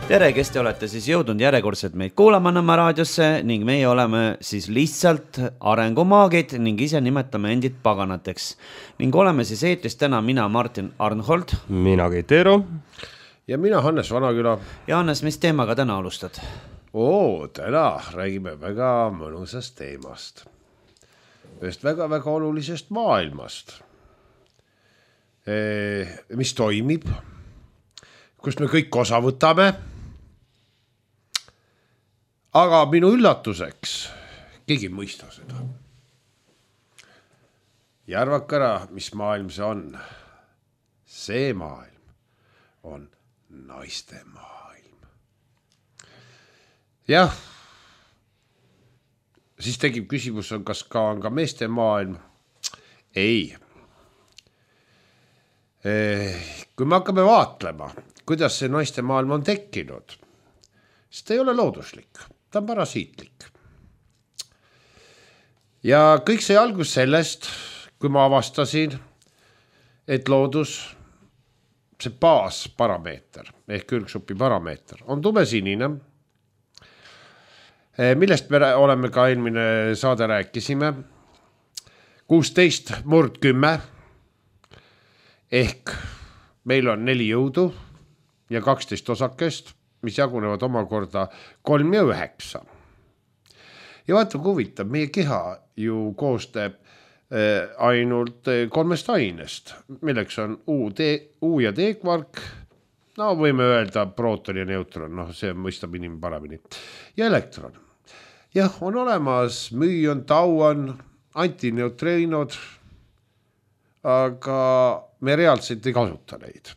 Tere, kes te olete siis jõudnud järjekordselt meid kuulama Nõmme raadiosse ning meie oleme siis lihtsalt arengumaagid ning ise nimetame endid paganateks. Ning oleme siis eetris täna mina, Martin Arnhold. Mina Keit Eero. Ja mina Hannes Vanaküla. Ja Hannes, mis teemaga täna alustad? Täna räägime väga mõnusast teemast. Ühest väga-väga olulisest maailmast. Mis toimib, kus me kõik osa võtame. Aga minu üllatuseks keegi mõista seda. Ja arvake ära, mis maailm see on. See maailm on naiste maailm. Jah, siis tekib küsimus, kas on ka meeste maailm. Ei. Kui me hakkame vaatlema, kuidas see naiste maailm on tekkinud, siis ta ei ole looduslik, ta on parasiitlik. Ja kõik see algus sellest, kui ma avastasin, et loodus, see baasparameeter ehk ürgsupi parameeter on tumesinine, millest me oleme ka eelmine saade rääkisime, 16/10 ehk meil on 4 jõudu ja 12 osakest, mis jagunevad omakorda 3 ja 9. Ja vaata, kui huvitav, meie keha ju koostab ainult 3 ainest, milleks on U ja D-kvark, no võime öelda prooton ja neutron, see mõistab inimene paremini, ja elektron. Jah, on olemas müün, tauon, antineutreinod, aga me reaalselt ei kasuta neid.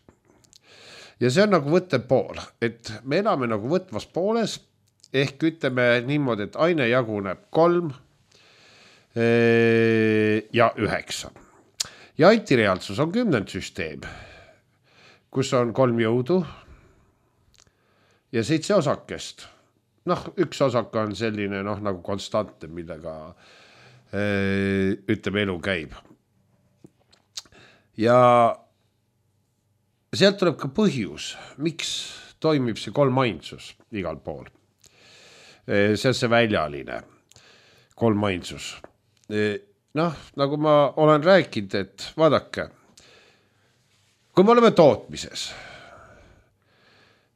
Ja see on nagu võttev pool, et me elame nagu võtvas pooles, ehk ütleme niimoodi, et aine jaguneb 3 ja 9. Ja antireaalsus on 10. süsteem, kus on 3 jõudu ja 7 osakest. Üks osaka on selline nagu konstantne, millega ütleme elu käib. Ja sealt tuleb ka põhjus, miks toimib see 3 ainsus igal pool. See on see väljaline 3 ainsus. Nagu ma olen rääkinud, et vaadake, kui me oleme tootmises,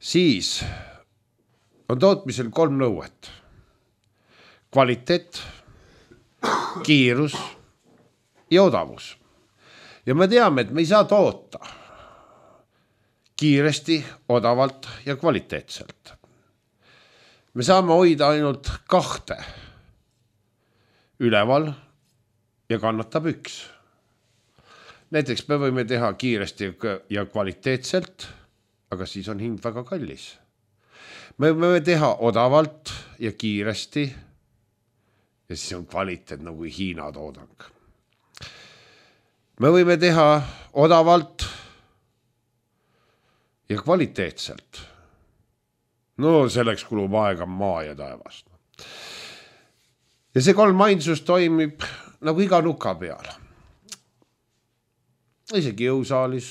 siis on tootmisel 3 nõuet. Kvaliteet, kiirus ja odavus. Ja me teame, et me ei saa toota kiiresti, odavalt ja kvaliteetselt. Me saame hoida ainult 2 üleval ja kannatab 1. Näiteks me võime teha kiiresti ja kvaliteetselt, aga siis on hind väga kallis. Me võime teha odavalt ja kiiresti ja siis on kvaliteet nagu Hiina toodang. Me võime teha odavalt ja kvaliteetselt. Selleks kulub aega maa ja taevast. Ja see 3 ainsus toimib nagu iga nuka peal. Isegi jõusaalis,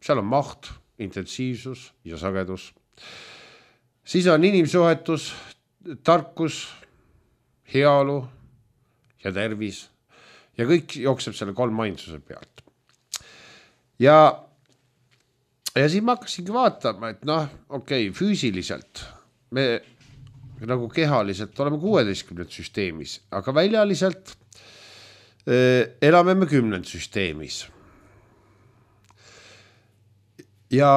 seal on maht, intensiivsus ja sagedus. Siis on inimsuhetus, tarkus, heaolu ja tervis. Ja kõik jookseb selle 3 ainsuse pealt. Ja siis ma hakkasingi vaatama, et füüsiliselt me nagu kehaliselt oleme 16. süsteemis, aga väljaliselt elame me 10. süsteemis. Ja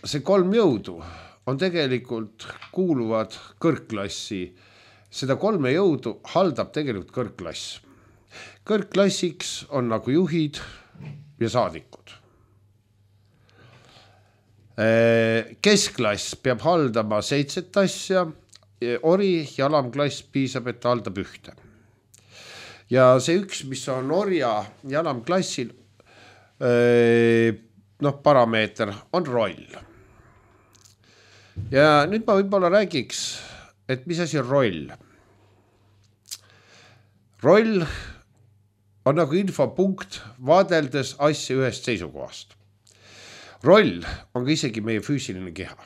see 3 jõudu on tegelikult kuuluvad kõrgklassi. Seda 3 jõudu haldab tegelikult kõrgklass. Kõrgklassiks on nagu juhid ja saadikud. Keskklass peab haldama 7 asja, ori ja alamklass piisab, et ta haldab 1. Ja see 1, mis on orja ja alamklassil, parameeter on roll. Ja nüüd ma võib-olla räägiks, et mis asi on roll. Roll on nagu infopunkt vaadeldes asja ühest seisukohast. Roll on ka isegi meie füüsiline keha.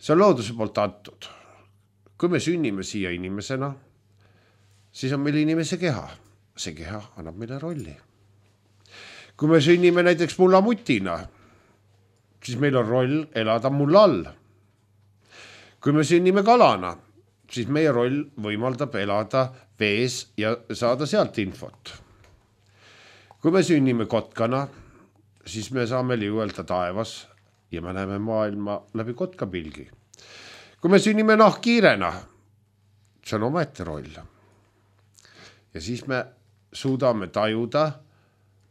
see on looduse poolt antud. Kui me sünnime siia inimesena, siis on meil inimese keha. See keha annab meile rolli. Kui me sünnime näiteks mullamutina, siis meil on roll elada mulla all. Kui me sünnime kalana, siis meie roll võimaldab elada vees ja saada sealt infot. Kui me sünnime kotkana, siis me saame liuelda taevas ja me näeme maailma läbi kotkapilgi. Kui me sünnime nahkhiirena, see on omaette roll. Ja siis me suudame tajuda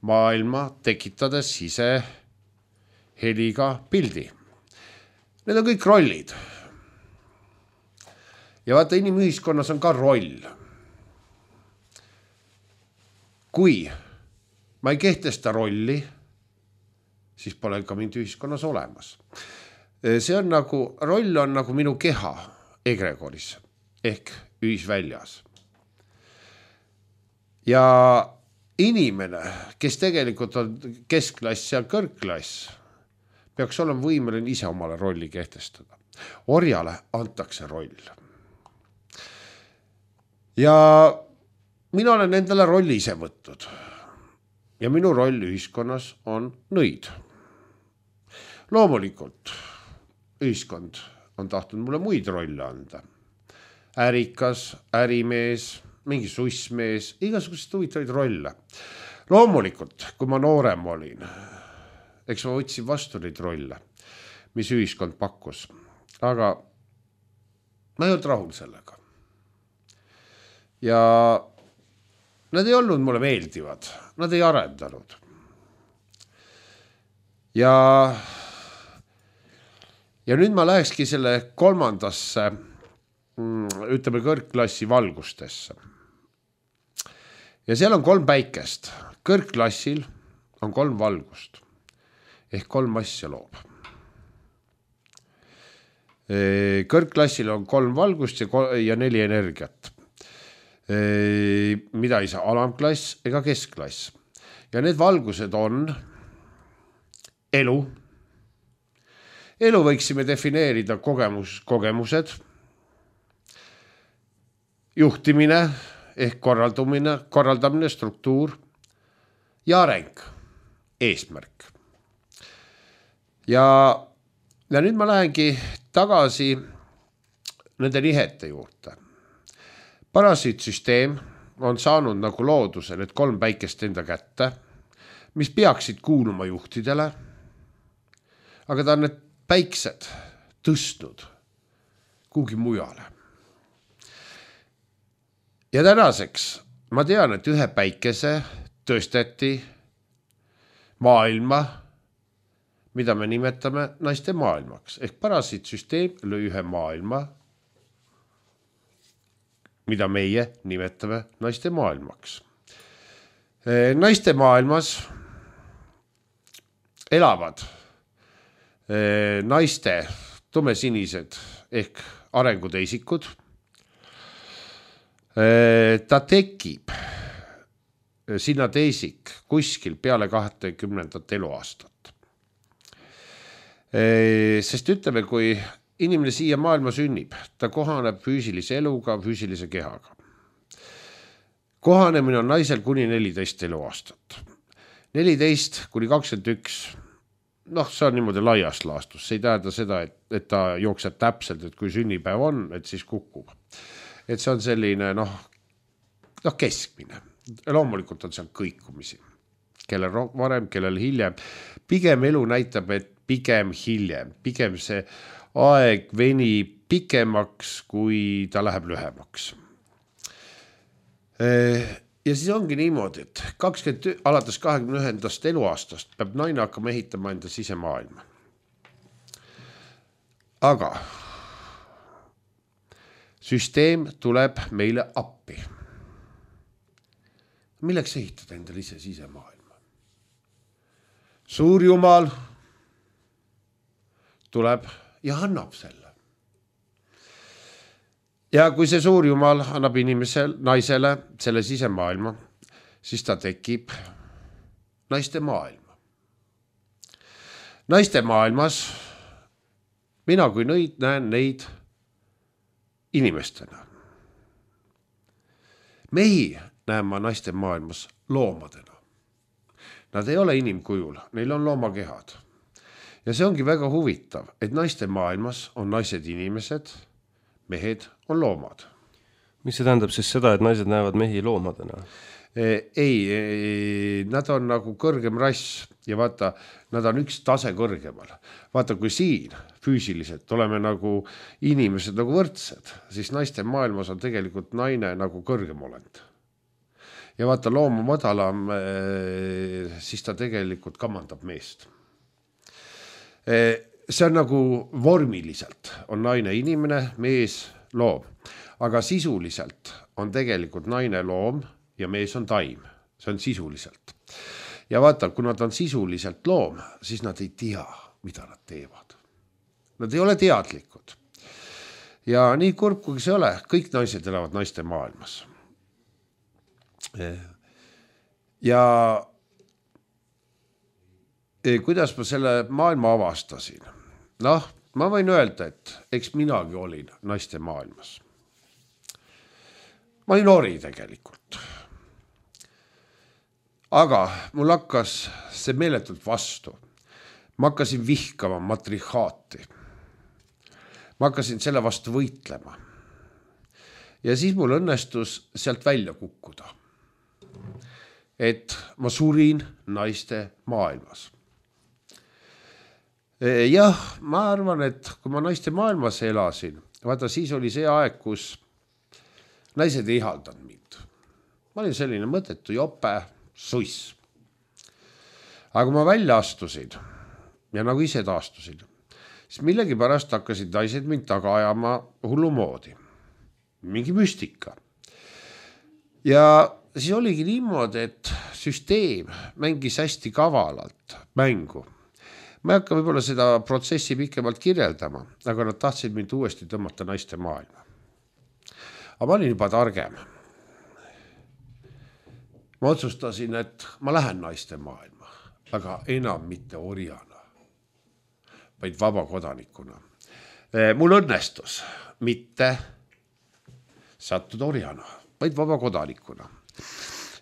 maailma tekitades ise heliga pildi. Need on kõik rollid. Ja vaata, inimühiskonnas on ka roll. Kui ma ei kehtesta rolli, siis pole ka mind ühiskonnas olemas. See on nagu, roll on nagu minu keha egregoris ehk ühisväljas. Ja inimene, kes tegelikult on keskklass ja kõrgklass, peaks olema võimeline ise omale rolli kehtestada. Orjale antakse roll. Ja mina olen endale rolli ise võtnud. Ja minu roll ühiskonnas on nõid. Loomulikult ühiskond on tahtnud mulle muid rolle anda. Ärikas, ärimees, mingi sussmees, igasugused huvitavaid rolle. Loomulikult, kui ma noorem olin, eks ma võtsin vastu neid rolle, mis ühiskond pakkus. Aga ma ei olnud rahul sellega. Ja nad ei olnud mulle meeldivad, nad ei arendanud. Ja nüüd ma lähekski selle kolmandasse, ütleme kõrgklassi valgustesse. Ja seal on 3 päikest. Kõrgklassil on 3 valgust. Ehk 3 asja loob. Kõrgklassil on 3 valgust ja 4 energiat. Mida ei saa alamklass ega keskklass. Ja need valgused on elu. Elu võiksime defineerida kogemused, juhtimine ehk korraldamine, struktuur ja areng, eesmärk. Ja nüüd ma lähengi tagasi nende nihete juurde. Parasiitsüsteem on saanud nagu looduse need 3 päikest enda kätte, mis peaksid kuuluma juhtidele, aga ta on need päiksed tõstnud kuhugi mujale. Ja tänaseks ma tean, et 1 päikese tõsteti maailma, mida me nimetame naiste maailmaks. Ehk parasiitsüsteem lõi 1 maailma, mida meie nimetame naiste maailmaks. Naiste maailmas elavad naiste tumesinised ehk arenguteisikud. Ta tekib sinna teisik kuskil peale 20. eluaastat. Sest ütleme, kui inimene siia maailma sünnib, ta kohaneb füüsilise eluga, füüsilise kehaga. Kohanemine on naisel kuni 14 eluaastat. 14 kuni 21, see on niimoodi laias laastus. See ei tähenda seda, et ta jookseb täpselt, et kui sünnipäev on, et siis kukub. Et see on selline, keskmine. Loomulikult on seal kõikumisi. Kellel varem, kellel hiljem. Pigem elu näitab, et pigem hiljem. Pigem see aeg veni pikemaks, kui ta läheb lühemaks. Ja siis ongi niimoodi, et alates 21. eluaastast peab naine hakkama ehitama enda sisemaailma. Aga süsteem tuleb meile appi. Milleks ehitada endale ise sisemaailma? Suur Jumal tuleb ja annab selle. Ja kui see suur Jumal annab naisele selle sisemaailma, siis ta tekib naiste maailma. Naiste maailmas mina kui näen neid inimestena. Mehi näen ma naiste maailmas loomadena. Nad ei ole inimkujul, neil on loomakehad. Ja see ongi väga huvitav, et naiste maailmas on naised inimesed, mehed on loomad. Mis see tähendab siis seda, et naised näevad mehi loomadena? Ei, nad on nagu kõrgem rass ja vaata, nad on üks tase kõrgemal. Vaata, kui siin füüsiliselt oleme nagu inimesed nagu võrdsed, siis naiste maailmas on tegelikult naine nagu kõrgem olend. Ja vaata, looma madalam, siis ta tegelikult kamandab meest. See on nagu vormiliselt on naine inimene, mees, loom. Aga sisuliselt on tegelikult naine loom ja mees on taim. See on sisuliselt. Ja vaata, kui nad on sisuliselt loom, siis nad ei tea, mida nad teevad. Nad ei ole teadlikud. Ja nii kurb, kui see ole, kõik naised elavad naiste maailmas. Ja kuidas ma selle maailma avastasin? Noh, ma võin öelda, et eks minagi olin naiste maailmas. Ma olin ori tegelikult. Aga mul hakkas see meeletult vastu. Ma hakkasin vihkama matrihaati. Ma hakkasin selle vastu võitlema. Ja siis mul õnnestus sealt välja kukkuda. Et ma surin naiste maailmas. Jah, ma arvan, et kui ma naiste maailmas elasin, vaata siis oli see aeg, kus naised ei ihaldanud mind. Ma olin selline mõttetu jope, suiss. Aga kui ma välja astusin ja nagu ise taastusin, siis millegi pärast hakkasid naised mind taga ajama hullumoodi. Mingi müstika. Ja siis oligi niimoodi, et süsteem mängis hästi kavalalt mängu. Ma ei hakka võib-olla seda protsessi pikemalt kirjeldama, aga nad tahtsid mind uuesti tõmmata naiste maailma. Aga ma olin juba targem. Ma otsustasin, et ma lähen naiste maailma, aga enam mitte orjana, vaid vabakodanikuna. Mul õnnestus mitte sattuda orjana, vaid vabakodanikuna.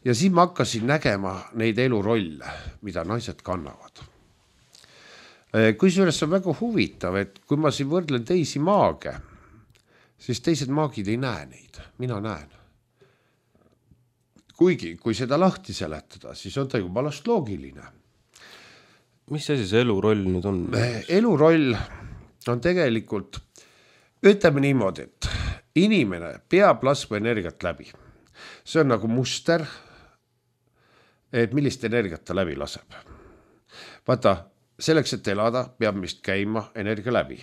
Ja siis ma hakkasin nägema neid elurolle, mida naised kannavad. Kusjuures on väga huvitav, et kui ma siin võrdlen teisi maage, siis teised maagid ei näe neid, mina näen. Kuigi, kui seda lahti seletada, siis on ta juba last loogiline. Mis asi see eluroll nüüd on? Eluroll on tegelikult, ütleme niimoodi, et inimene peab laskma energiat läbi. See on nagu muster, et millist energiat ta läbi laseb. Vaata, selleks, et elada, peab meist käima energia läbi.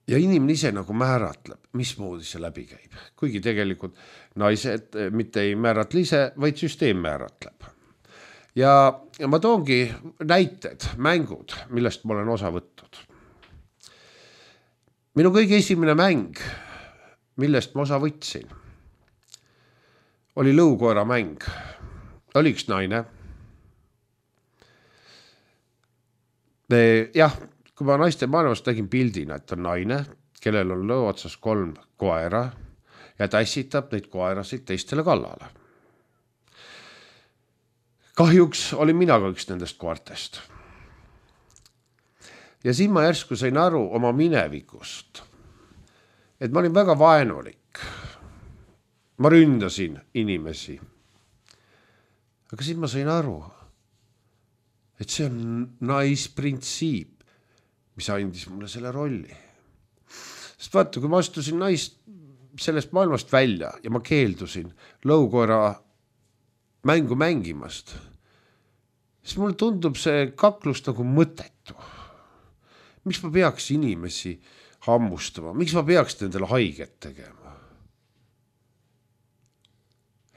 Ja inimene ise nagu määratleb, mismoodi see läbi käib. Kuigi tegelikult naised mitte ei määratle ise, vaid süsteem määratleb. Ja ma toongi näited, mängud, millest ma olen osa võtnud. Minu kõige esimene mäng, millest ma osa võtsin, oli lõukoera mäng. Oli üks naine. Jah, kui ma naiste maailmast tegin pildina, et on naine, kellel on lõu otsas 3 koera ja ta ässitab neid koerasid teistele kallale. Kahjuks olin mina ka üks nendest koertest. Ja siin ma järsku sain aru oma minevikust, et ma olin väga vaenulik. Ma ründasin inimesi. Aga siin ma sain aru, et see on naisprintsiip, mis andis mulle selle rolli. Sest vaata, kui ma astusin sellest maailmast välja ja ma keeldusin lõukoera mängu mängimast, siis mulle tundub see kaklus nagu mõttetu. Miks ma peaks inimesi hammustama? Miks ma peaks nendele haiget tegema?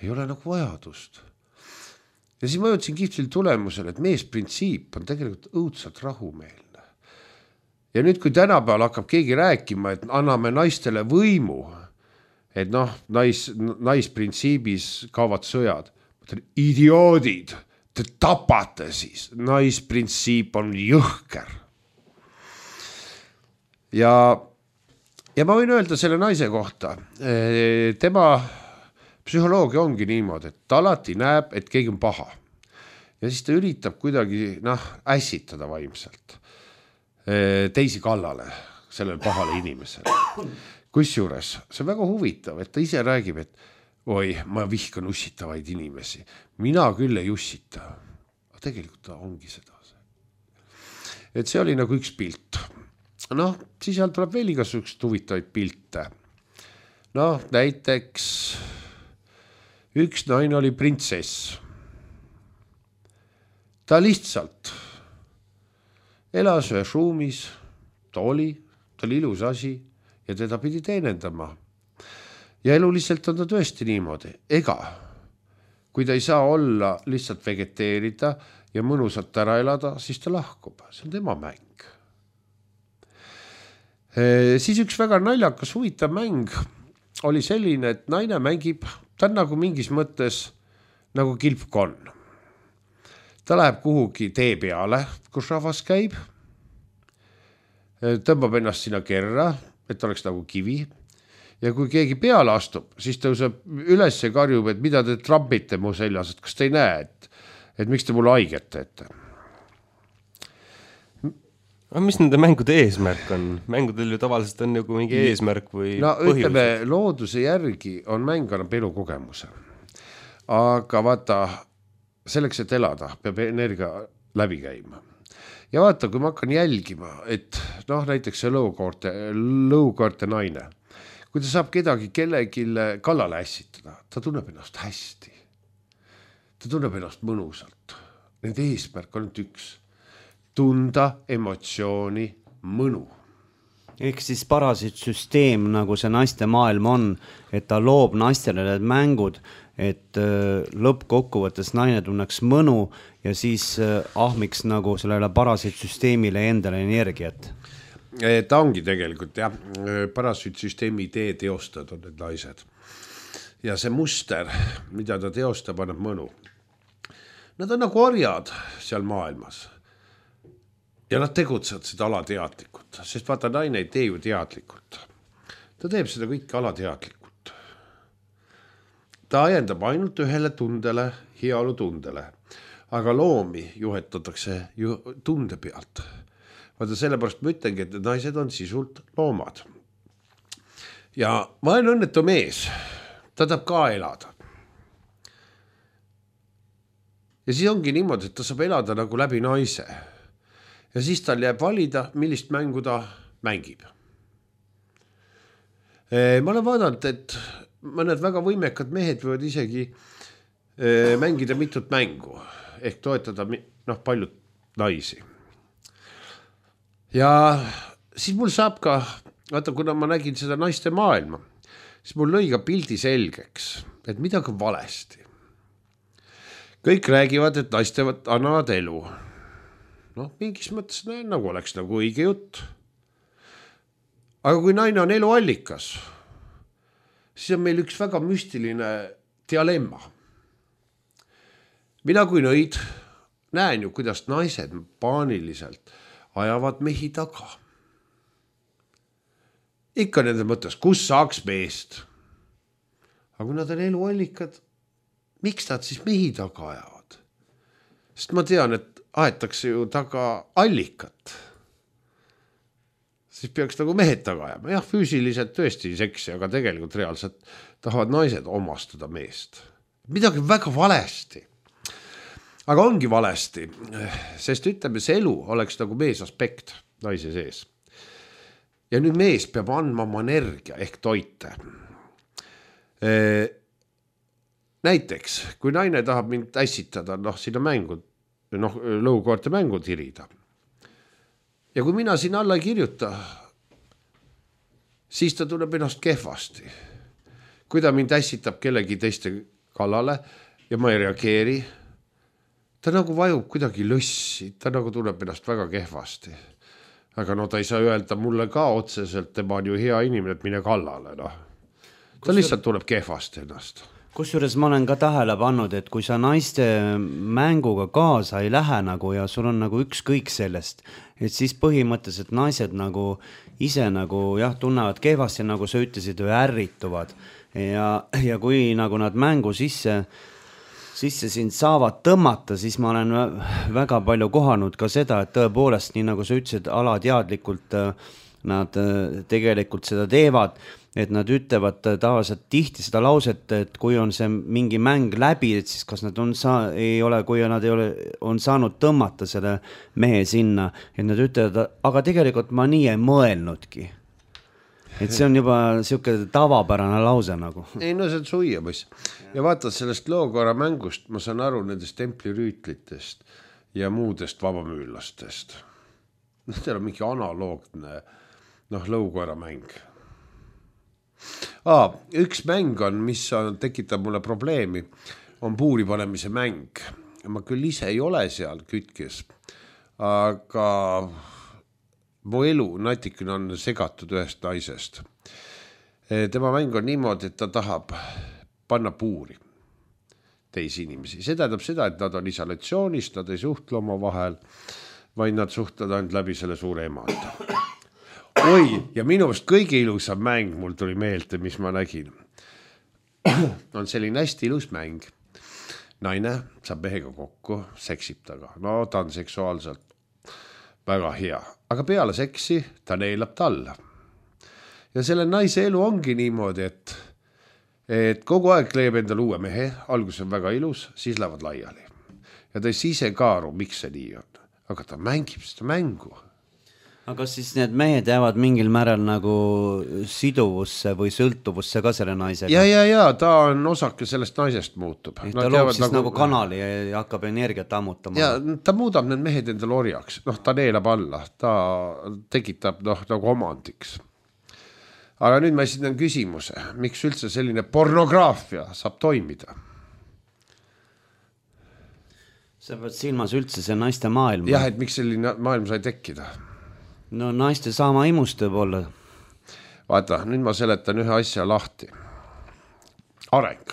Ei ole nagu vajadust. Ja siis ma jõudsin kihvtil tulemusele, et meesprintsiip on tegelikult õudselt rahumeelne. Ja nüüd, kui tänapäeval hakkab keegi rääkima, et anname naistele võimu, et naisprintsiibis kaovad sõjad. Idioodid, te tapate siis, naisprintsiip on jõhker. Ja ma võin öelda selle naise kohta, tema psühholoogia ongi niimoodi, et ta alati näeb, et keegi on paha. Ja siis ta üritab kuidagi ässitada vaimselt teisi kallale sellele pahale inimesele. Kusjuures see on väga huvitav, et ta ise räägib, et oi, ma vihkan ussitavaid inimesi. Mina küll ei ussita. Aga tegelikult ta ongi seda. Et see oli nagu üks pilt. Siis seal tuleb veel igasugust huvitavaid pilte. Näiteks üks naine oli printsess. Ta lihtsalt elas ühes ruumis, ta oli ilus asi ja teda pidi teenendama. Ja eluliselt on ta tõesti niimoodi. Ega, kui ta ei saa olla lihtsalt vegeteerida ja mõnusalt ära elada, siis ta lahkub. See on tema mäng. Siis üks väga naljakas huvitav mäng oli selline, et naine mängib, ta on nagu mingis mõttes nagu kilpkonn. Ta läheb kuhugi tee peale, kus rahvas käib, tõmbab ennast sinna kerra, et oleks nagu kivi. Ja kui keegi peale astub, siis tõuseb üles ja karjub, et mida te trampite mu seljas, et kas te ei näe, et miks te mulle haiget teete. Aga mis nende mängude eesmärk on? Mängudel ju tavaliselt on nagu mingi eesmärk või põhjus? Ütleme, looduse järgi on mäng annab elukogemuse. Aga vaata, selleks, et elada, peab energia läbi käima. Ja vaata, kui ma hakkan jälgima, et näiteks see lõukoorte naine, kui ta saab kedagi kellegi kallale ässitada, ta tunneb ennast hästi. Ta tunneb ennast mõnusalt. Nende eesmärk on üks. Tunda emotsiooni mõnu. Ehk siis parasiitsüsteem, nagu see naiste maailm on, et ta loob naistele need mängud, et lõppkokkuvõttes naine tunneks mõnu ja siis ahmiks nagu sellele parasiitsüsteemile endale energiat. Ta ongi tegelikult, jah, parasiitsüsteemi idee teostad on need naised. Ja see muster, mida ta teostab, annab mõnu. Nad on nagu orjad seal maailmas. Ja nad tegutsevad seda alateadlikult, sest vaata, naine ei tee ju teadlikult. Ta teeb seda kõike alateadlikult. Ta ajendab ainult ühele tundele, heaolu tundele, aga loomi juhetatakse ju tunde pealt. Vaata, sellepärast ma ütlengi, et naised on sisult loomad. Ja ma olen õnnetu mees, ta tahab ka elada. Ja siis ongi niimoodi, et ta saab elada nagu läbi naise. Ja siis tal jääb valida, millist mängu ta mängib. Ma olen vaadanud, et mõned väga võimekad mehed võivad isegi mängida mitut mängu, ehk toetada paljud naisi. Ja siis mul saab ka, vaata, kuna ma nägin seda naiste maailma, siis mul lõi ka pildi selgeks, et midagi on valesti. Kõik räägivad, et naised annavad elu. Mingis mõttes nagu oleks nagu õige jutt. Aga kui naine on eluallikas, siis on meil üks väga müstiline dilemma. Mina kui nõid näen ju, kuidas naised paaniliselt ajavad mehi taga. Ikka nende mõttes, kus saaks meest. Aga kui nad on eluallikad, miks nad siis mehi taga ajavad? Sest ma tean, et aetakse ju taga allikat. Siis peaks nagu mehed taga ajama. Jah, füüsiliselt tõesti seksi, aga tegelikult reaalselt tahavad naised omastada meest. Midagi väga valesti. Aga ongi valesti, sest ütleme, see elu oleks nagu mees aspekt naise sees. Ja nüüd mees peab andma oma energia ehk toite. Näiteks, kui naine tahab mind ässitada, sinna mängud, lõukoorte mängu tirida. Ja kui mina siin alla ei kirjuta, siis ta tunneb ennast kehvasti. Kui ta mind ässitab kellegi teiste kallale ja ma ei reageeri, ta nagu vajub kuidagi lõssi, ta nagu tunneb ennast väga kehvasti. Aga ta ei saa öelda mulle ka otseselt, tema on ju hea inimene, et mine kallale. Ta lihtsalt tuleb kehvasti ennast. Kusjuures ma olen ka tähele pannud, et kui sa naiste mänguga kaasa ei lähe nagu ja sul on nagu ükskõik sellest, et siis põhimõtteliselt naised nagu ise nagu jah, tunnevad kehvasti, nagu sa ütlesid, või ärrituvad. Ja kui nagu nad mängu sisse sind saavad tõmmata, siis ma olen väga palju kohanud ka seda, et tõepoolest, nii nagu sa ütlesid, alateadlikult nad tegelikult seda teevad, et nad ütlevad tavaliselt tihti seda lauset, et kui on see mingi mäng läbi, et siis kas nad on saanud tõmmata selle mehe sinna, et nad ütlevad, aga tegelikult ma nii ei mõelnudki. Et see on juba siuke tavapärane lause nagu. Ei, no see on suia, poiss. Ja vaatad sellest lookoera mängust, ma saan aru nendest templirüütlitest ja muudest vabamüüllastest. Teil on mingi analoogne lõukoera mäng. Üks mäng on, mis tekitab mulle probleemi, on puuri panemise mäng. Ma küll ise ei ole seal kütkes, aga mu elu natikene on segatud ühest naisest. Tema mäng on niimoodi, et ta tahab panna puuri teisi inimesi. See tähendab seda, et nad on isolatsioonis, nad ei suhtle oma vahel, vaid nad suhtlevad ainult läbi selle suure emanda. Oi, ja minu meelest kõige ilusam mäng mul tuli meelde, mis ma nägin. On selline hästi ilus mäng. Naine saab mehega kokku, seksib taga. No ta on seksuaalselt väga hea. Aga peale seksi ta neelab talla. Ja selle naise elu ongi niimoodi, et kogu aeg leiab endale uue mehe, algus on väga ilus, siis lähevad laiali. Ja ta ei ise ka aru, miks see nii on. Aga ta mängib seda mängu. Aga siis need mehed jäävad mingil määral nagu siduvusse või sõltuvusse ka selle naisega? Ja, ta on osake sellest naisest muutub. Ta loob siis nagu kanali ja hakkab energiat ammutama. Ja ta muudab need mehed endale orjaks. Ta neelab alla, ta tekitab nagu omandiks. Aga nüüd ma esitan küsimuse, miks üldse selline pornograafia saab toimida? Sa pead silmas üldse see naiste maailm. Jah, et miks selline maailm sai tekkida? No naiste saama imust võib olla. Vaata, nüüd ma seletan ühe asja lahti. Areng.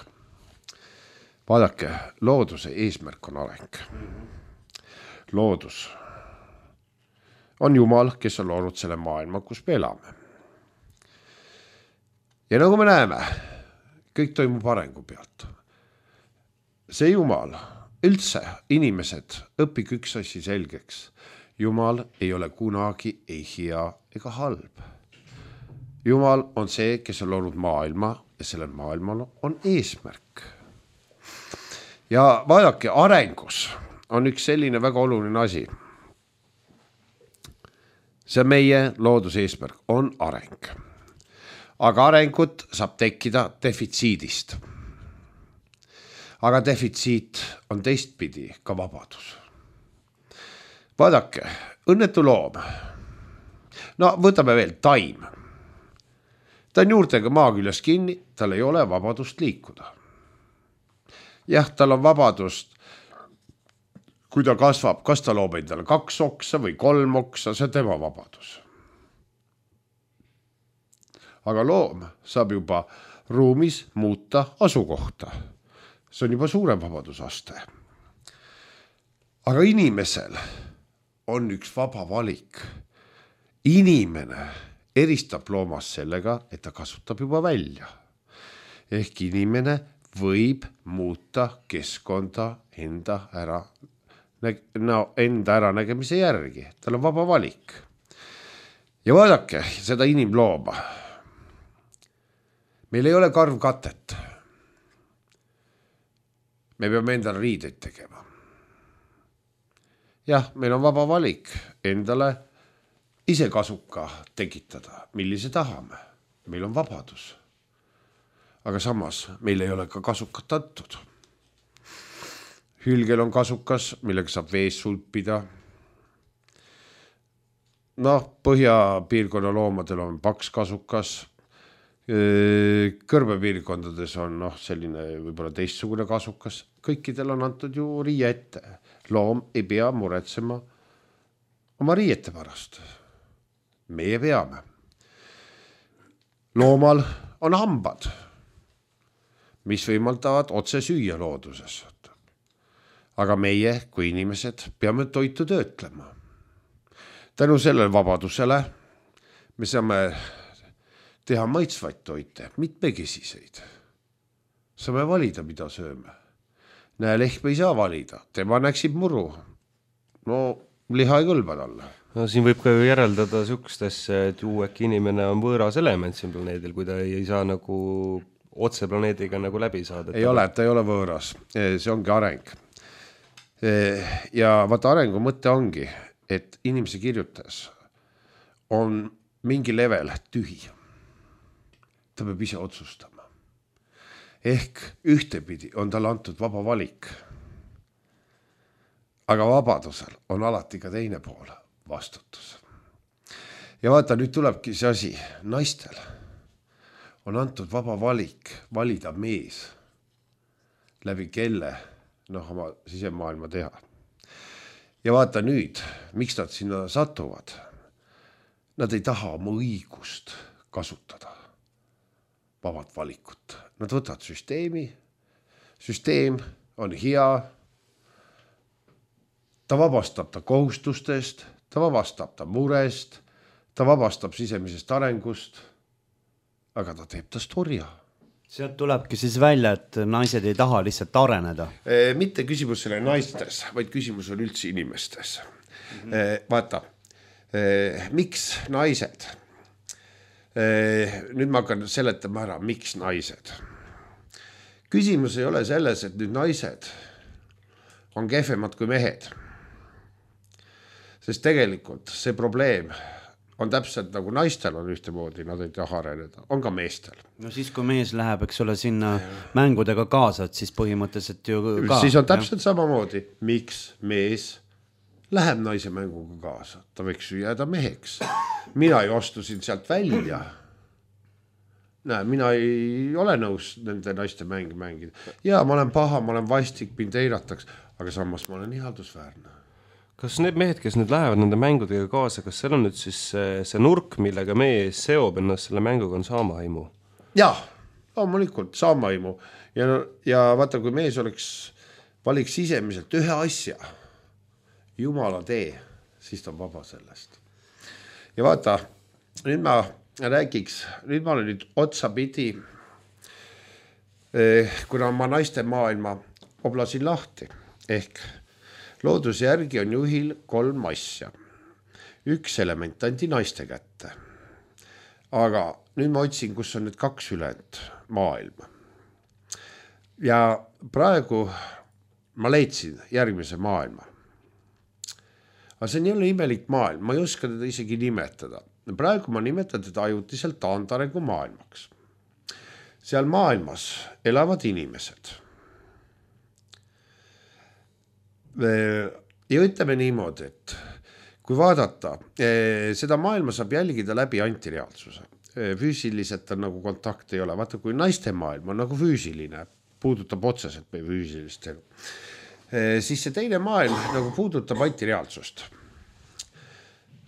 Vaadake, looduse eesmärk on areng. Loodus on Jumal, kes on loonud selle maailma, kus me elame. Ja nagu me näeme, kõik toimub arengu pealt. See Jumal, üldse inimesed, õpik üks asi selgeks. Jumal ei ole kunagi ei hea ega halb. Jumal on see, kes on loonud maailma ja sellel maailmal on eesmärk. Ja vaadake, arengus on üks selline väga oluline asi. See meie looduse eesmärk on areng. Aga arengut saab tekkida defitsiidist. Aga defitsiit on teistpidi ka vabadus. Vaadake, õnnetu loom. No võtame veel taim. Ta on juurtega maa küljes kinni, tal ei ole vabadust liikuda. Jah, tal on vabadust, kui ta kasvab, kas ta loob endale 2 oksa või 3 oksa, see on tema vabadus. Aga loom saab juba ruumis muuta asukohta. See on juba suurem vabadusaste. Aga inimesel on üks vaba valik. Inimene eristab loomast sellega, et ta kasutab juba välja. Ehk inimene võib muuta keskkonda enda äranägemise järgi. Tal on vaba valik. Ja vaadake seda inimlooma. Meil ei ole karvkatet. Me peame endale riideid tegema. Jah, meil on vaba valik endale ise kasuka tekitada, millise tahame. Meil on vabadus. Aga samas meil ei ole ka kasukat antud. Hülgel on kasukas, millega saab vees sulpida. Põhjapiirkonna loomadel on paks kasukas. Kõrbepiirkondades on selline võib-olla teistsugune kasukas. Kõikidel on antud ju riie ette. Loom ei pea muretsema oma riiete pärast. Meie peame. Loomal on hambad. mis võimaldavad otse süüa looduses. Aga meie kui inimesed peame toitu töötlema. Tänu sellele vabadusele me saame teha maitsvaid toite, mitmekesiseid. Saame valida, mida sööme. Lehm ei saa valida, tema näksib muru. No liha ei kõlba talle. No siin võib ka ju järeldada sükstesse, et äkki inimene on võõras element siin planeedil, kui ta ei saa nagu otse planeediga nagu läbi saada. Ei ole, ta ei ole võõras, see ongi areng. Ja vaata arengu mõte ongi, et inimese kirjutas on mingi level tühi. Ta peab ise otsustama. Ehk ühtepidi on tal antud vaba valik. Aga vabadusel on alati ka teine pool, vastutus. Ja vaata, nüüd tulebki see asi, naistel on antud vaba valik valida mees, läbi kelle oma sisemaailma teha. Ja vaata nüüd, miks nad sinna satuvad? Nad ei taha oma õigust kasutada, vabad valikut. Nad võtavad süsteemi, süsteem on hea, ta vabastab ta kohustustest, ta vabastab ta murest, ta vabastab sisemisest arengust, aga ta teeb tast orja. Sealt tulebki siis välja, et naised ei taha lihtsalt areneda. Mitte küsimus selle naistes, vaid küsimus on üldse inimestes. Vaata, miks naised? Nüüd ma hakkan seletama ära, miks naised. Küsimus ei ole selles, et nüüd naised on kehvemad kui mehed. Sest tegelikult see probleem on täpselt nagu naistel on ühtemoodi, nad ei taha areneda, on ka meestel. No siis, kui mees läheb, eks ole, sinna mängudega kaasa, et siis põhimõtteliselt ju ka. Siis on täpselt samamoodi, miks mees läheb naise mänguga kaasa. Ta võiks ju jääda meheks. Mina ju astusin sealt välja. Mina ei ole nõus nende naiste mängida. Ja ma olen paha, ma olen vastik, mind eiratakse, aga samas ma olen ihaldusväärne. Kas need mehed, kes nüüd lähevad nende mängudega kaasa, kas seal on nüüd siis see nurk, millega mees seob ennast selle mänguga on saamahaimu? Jah, loomulikult saamahaimu. Ja vaata, kui mees valiks sisemiselt ühe asja, Jumala tee, siis ta on vaba sellest. Ja vaata, nüüd ma räägiks, nüüd ma olen nüüd otsapidi, kuna ma naiste maailma oblasin lahti, ehk looduse järgi on juhil 3 asja. Üks element andi naiste kätte. Aga nüüd ma otsin, kus on need 2 ülejäänud maailma. Ja praegu ma leidsin järgmise maailma. Aga see on jälle imelik maailm, ma ei oska teda isegi nimetada. Praegu ma nimetan teda ajutiselt taandarengu maailmaks. Seal maailmas elavad inimesed. Ja ütleme niimoodi, et kui vaadata, seda maailma saab jälgida läbi antireaalsuse. Füüsiliselt on nagu kontakt ei ole. Vaata, kui naiste maailm on nagu füüsiline, puudutab otseselt meie füüsilist elu, siis see teine maailm nagu puudutab antireaalsust.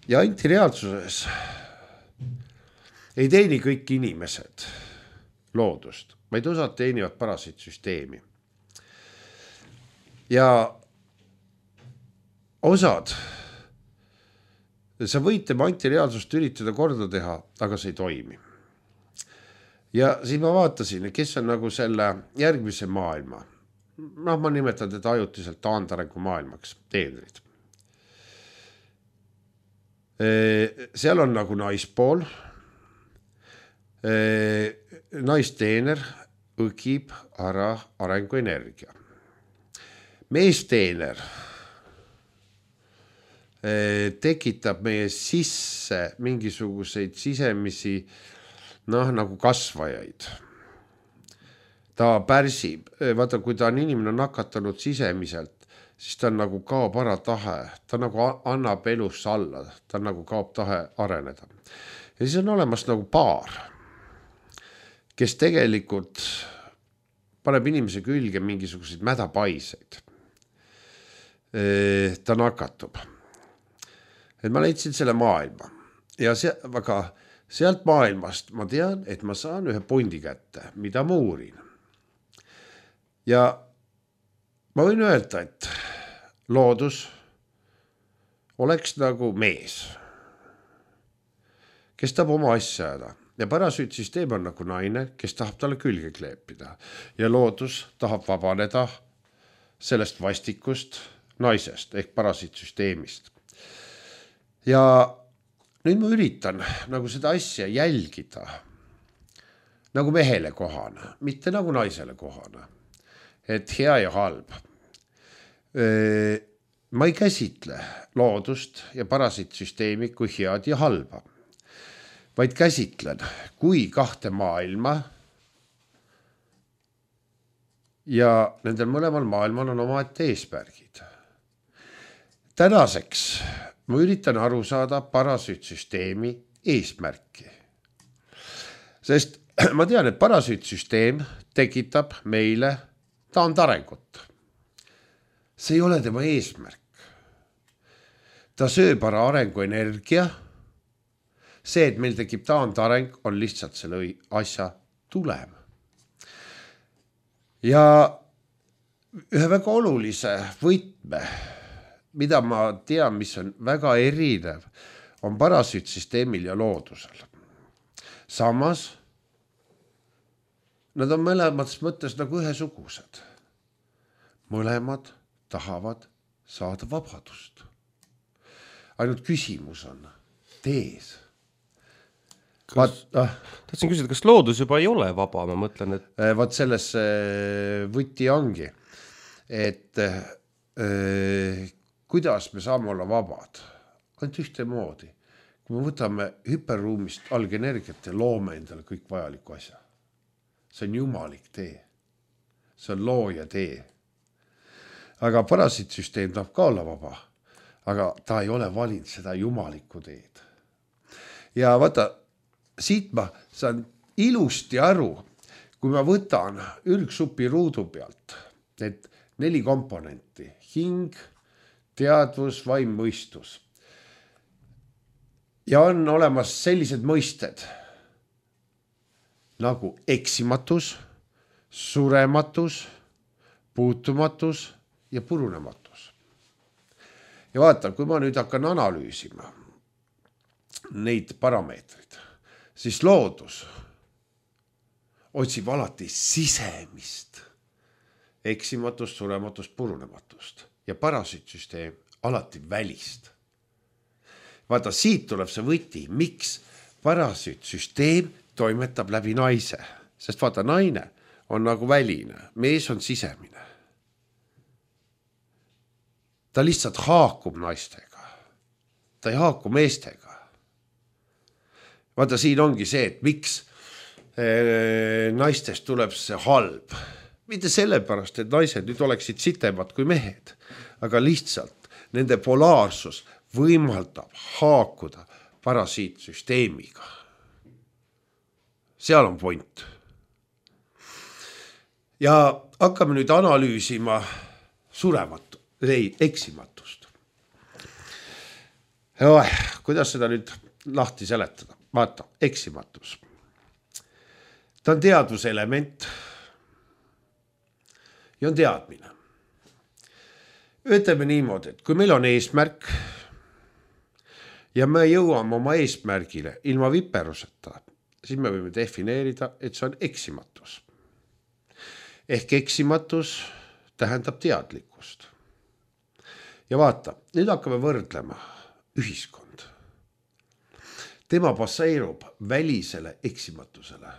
Ja antireaalsuses ei teeni kõik inimesed loodust, vaid osad teenivad parasit süsteemi. Ja osad, sa võid tema antireaalsust üritada korda teha, aga see ei toimi. Ja siis ma vaatasin, kes on nagu selle järgmise maailma. Ma nimetan teda ajutiselt taandarengu maailmaks, teenrid. Seal on nagu naispool, naisteener õgib ära arenguenergia. Meesteener tekitab meie sisse mingisuguseid sisemisi nagu kasvajaid. Ta pärsib, vaata, kui ta on inimene nakatanud sisemiselt, siis ta nagu kaob ära tahe, ta nagu annab elus alla, ta nagu kaob tahe areneda. Ja siis on olemas nagu paar, kes tegelikult paneb inimese külge mingisuguseid mädapaiseid. Ta nakatub. Et ma leidsin selle maailma ja sealt maailmast ma tean, et ma saan ühe pondi kätte, mida ma uurin. ja ma võin öelda, et loodus oleks nagu mees, kes tahab oma asja ajada ja parasüütsüsteem on nagu naine, kes tahab talle külge kleepida ja loodus tahab vabaneda sellest vastikust naisest ehk parasüütsüsteemist. Ja nüüd ma üritan nagu seda asja jälgida nagu mehele kohana, mitte nagu naisele kohana, et hea ja halb. Ma ei käsitle loodust ja parasüütsüsteemi kui head ja halba, vaid käsitlen kui kahte maailma ja nendel mõlemal maailmal on omaette eesmärgid. Tänaseks ma üritan aru saada parasüütsüsteemi eesmärki. Sest ma tean, et parasüütsüsteem tekitab meile taandarengut. See ei ole tema eesmärk. Ta sööb ära arenguenergia. See, et meil tekib taandareng, on lihtsalt selle asja tulem. Ja ühe väga olulise võtme, mida ma tean, mis on väga erinev, on parasüütsüsteemil ja loodusel. Samas, nad on mõlemas mõttes nagu ühesugused. Mõlemad tahavad saada vabadust. Ainult küsimus on tees. Tahtsin küsida, kas loodus juba ei ole vaba, ma mõtlen, et... Vaat selles võti ongi, et kuidas me saame olla vabad? Ainult ühte moodi. Kui me võtame hüperruumist algenergiat ja loome endale kõik vajaliku asja. See on jumalik tee. See on looja tee. Aga parasüütsüsteem tahab ka olla vaba, aga ta ei ole valinud seda jumalikku teed. Ja vaata, siit ma saan ilusti aru, kui ma võtan ürgsupi ruudu pealt, et 4 komponenti, hing, teadvus, vaim, mõistus. Ja on olemas sellised mõisted nagu eksimatus, surematus, puutumatus ja purunematus. Ja vaata, kui ma nüüd hakkan analüüsima neid parameetrid, siis loodus otsib alati sisemist eksimatust, surematust, purunematust ja parasüütsüsteem alati välist. Vaata, siit tuleb see võti, miks parasüütsüsteem toimetab läbi naise, sest vaata, naine on nagu väline, mees on sisemine. Ta lihtsalt haakub naistega, ta ei haaku meestega. Vaata, siin ongi see, et miks naistest tuleb see halb. Mitte sellepärast, et naised nüüd oleksid sitemad kui mehed, aga lihtsalt nende polaarsus võimaldab haakuda parasüütsüsteemiga. Seal on point. Ja hakkame nüüd analüüsima eksimatust. Kuidas seda nüüd lahti seletada? Vaata, eksimatus. Ta on teadvuselement ja on teadmine. Ütleme niimoodi, et kui meil on eesmärk ja me jõuame oma eesmärgile ilma viperuseta, siis me võime defineerida, et see on eksimatus. Ehk eksimatus tähendab teadlikkust. Ja vaata, nüüd hakkame võrdlema ühiskond. Tema baseerub välisele eksimatusele.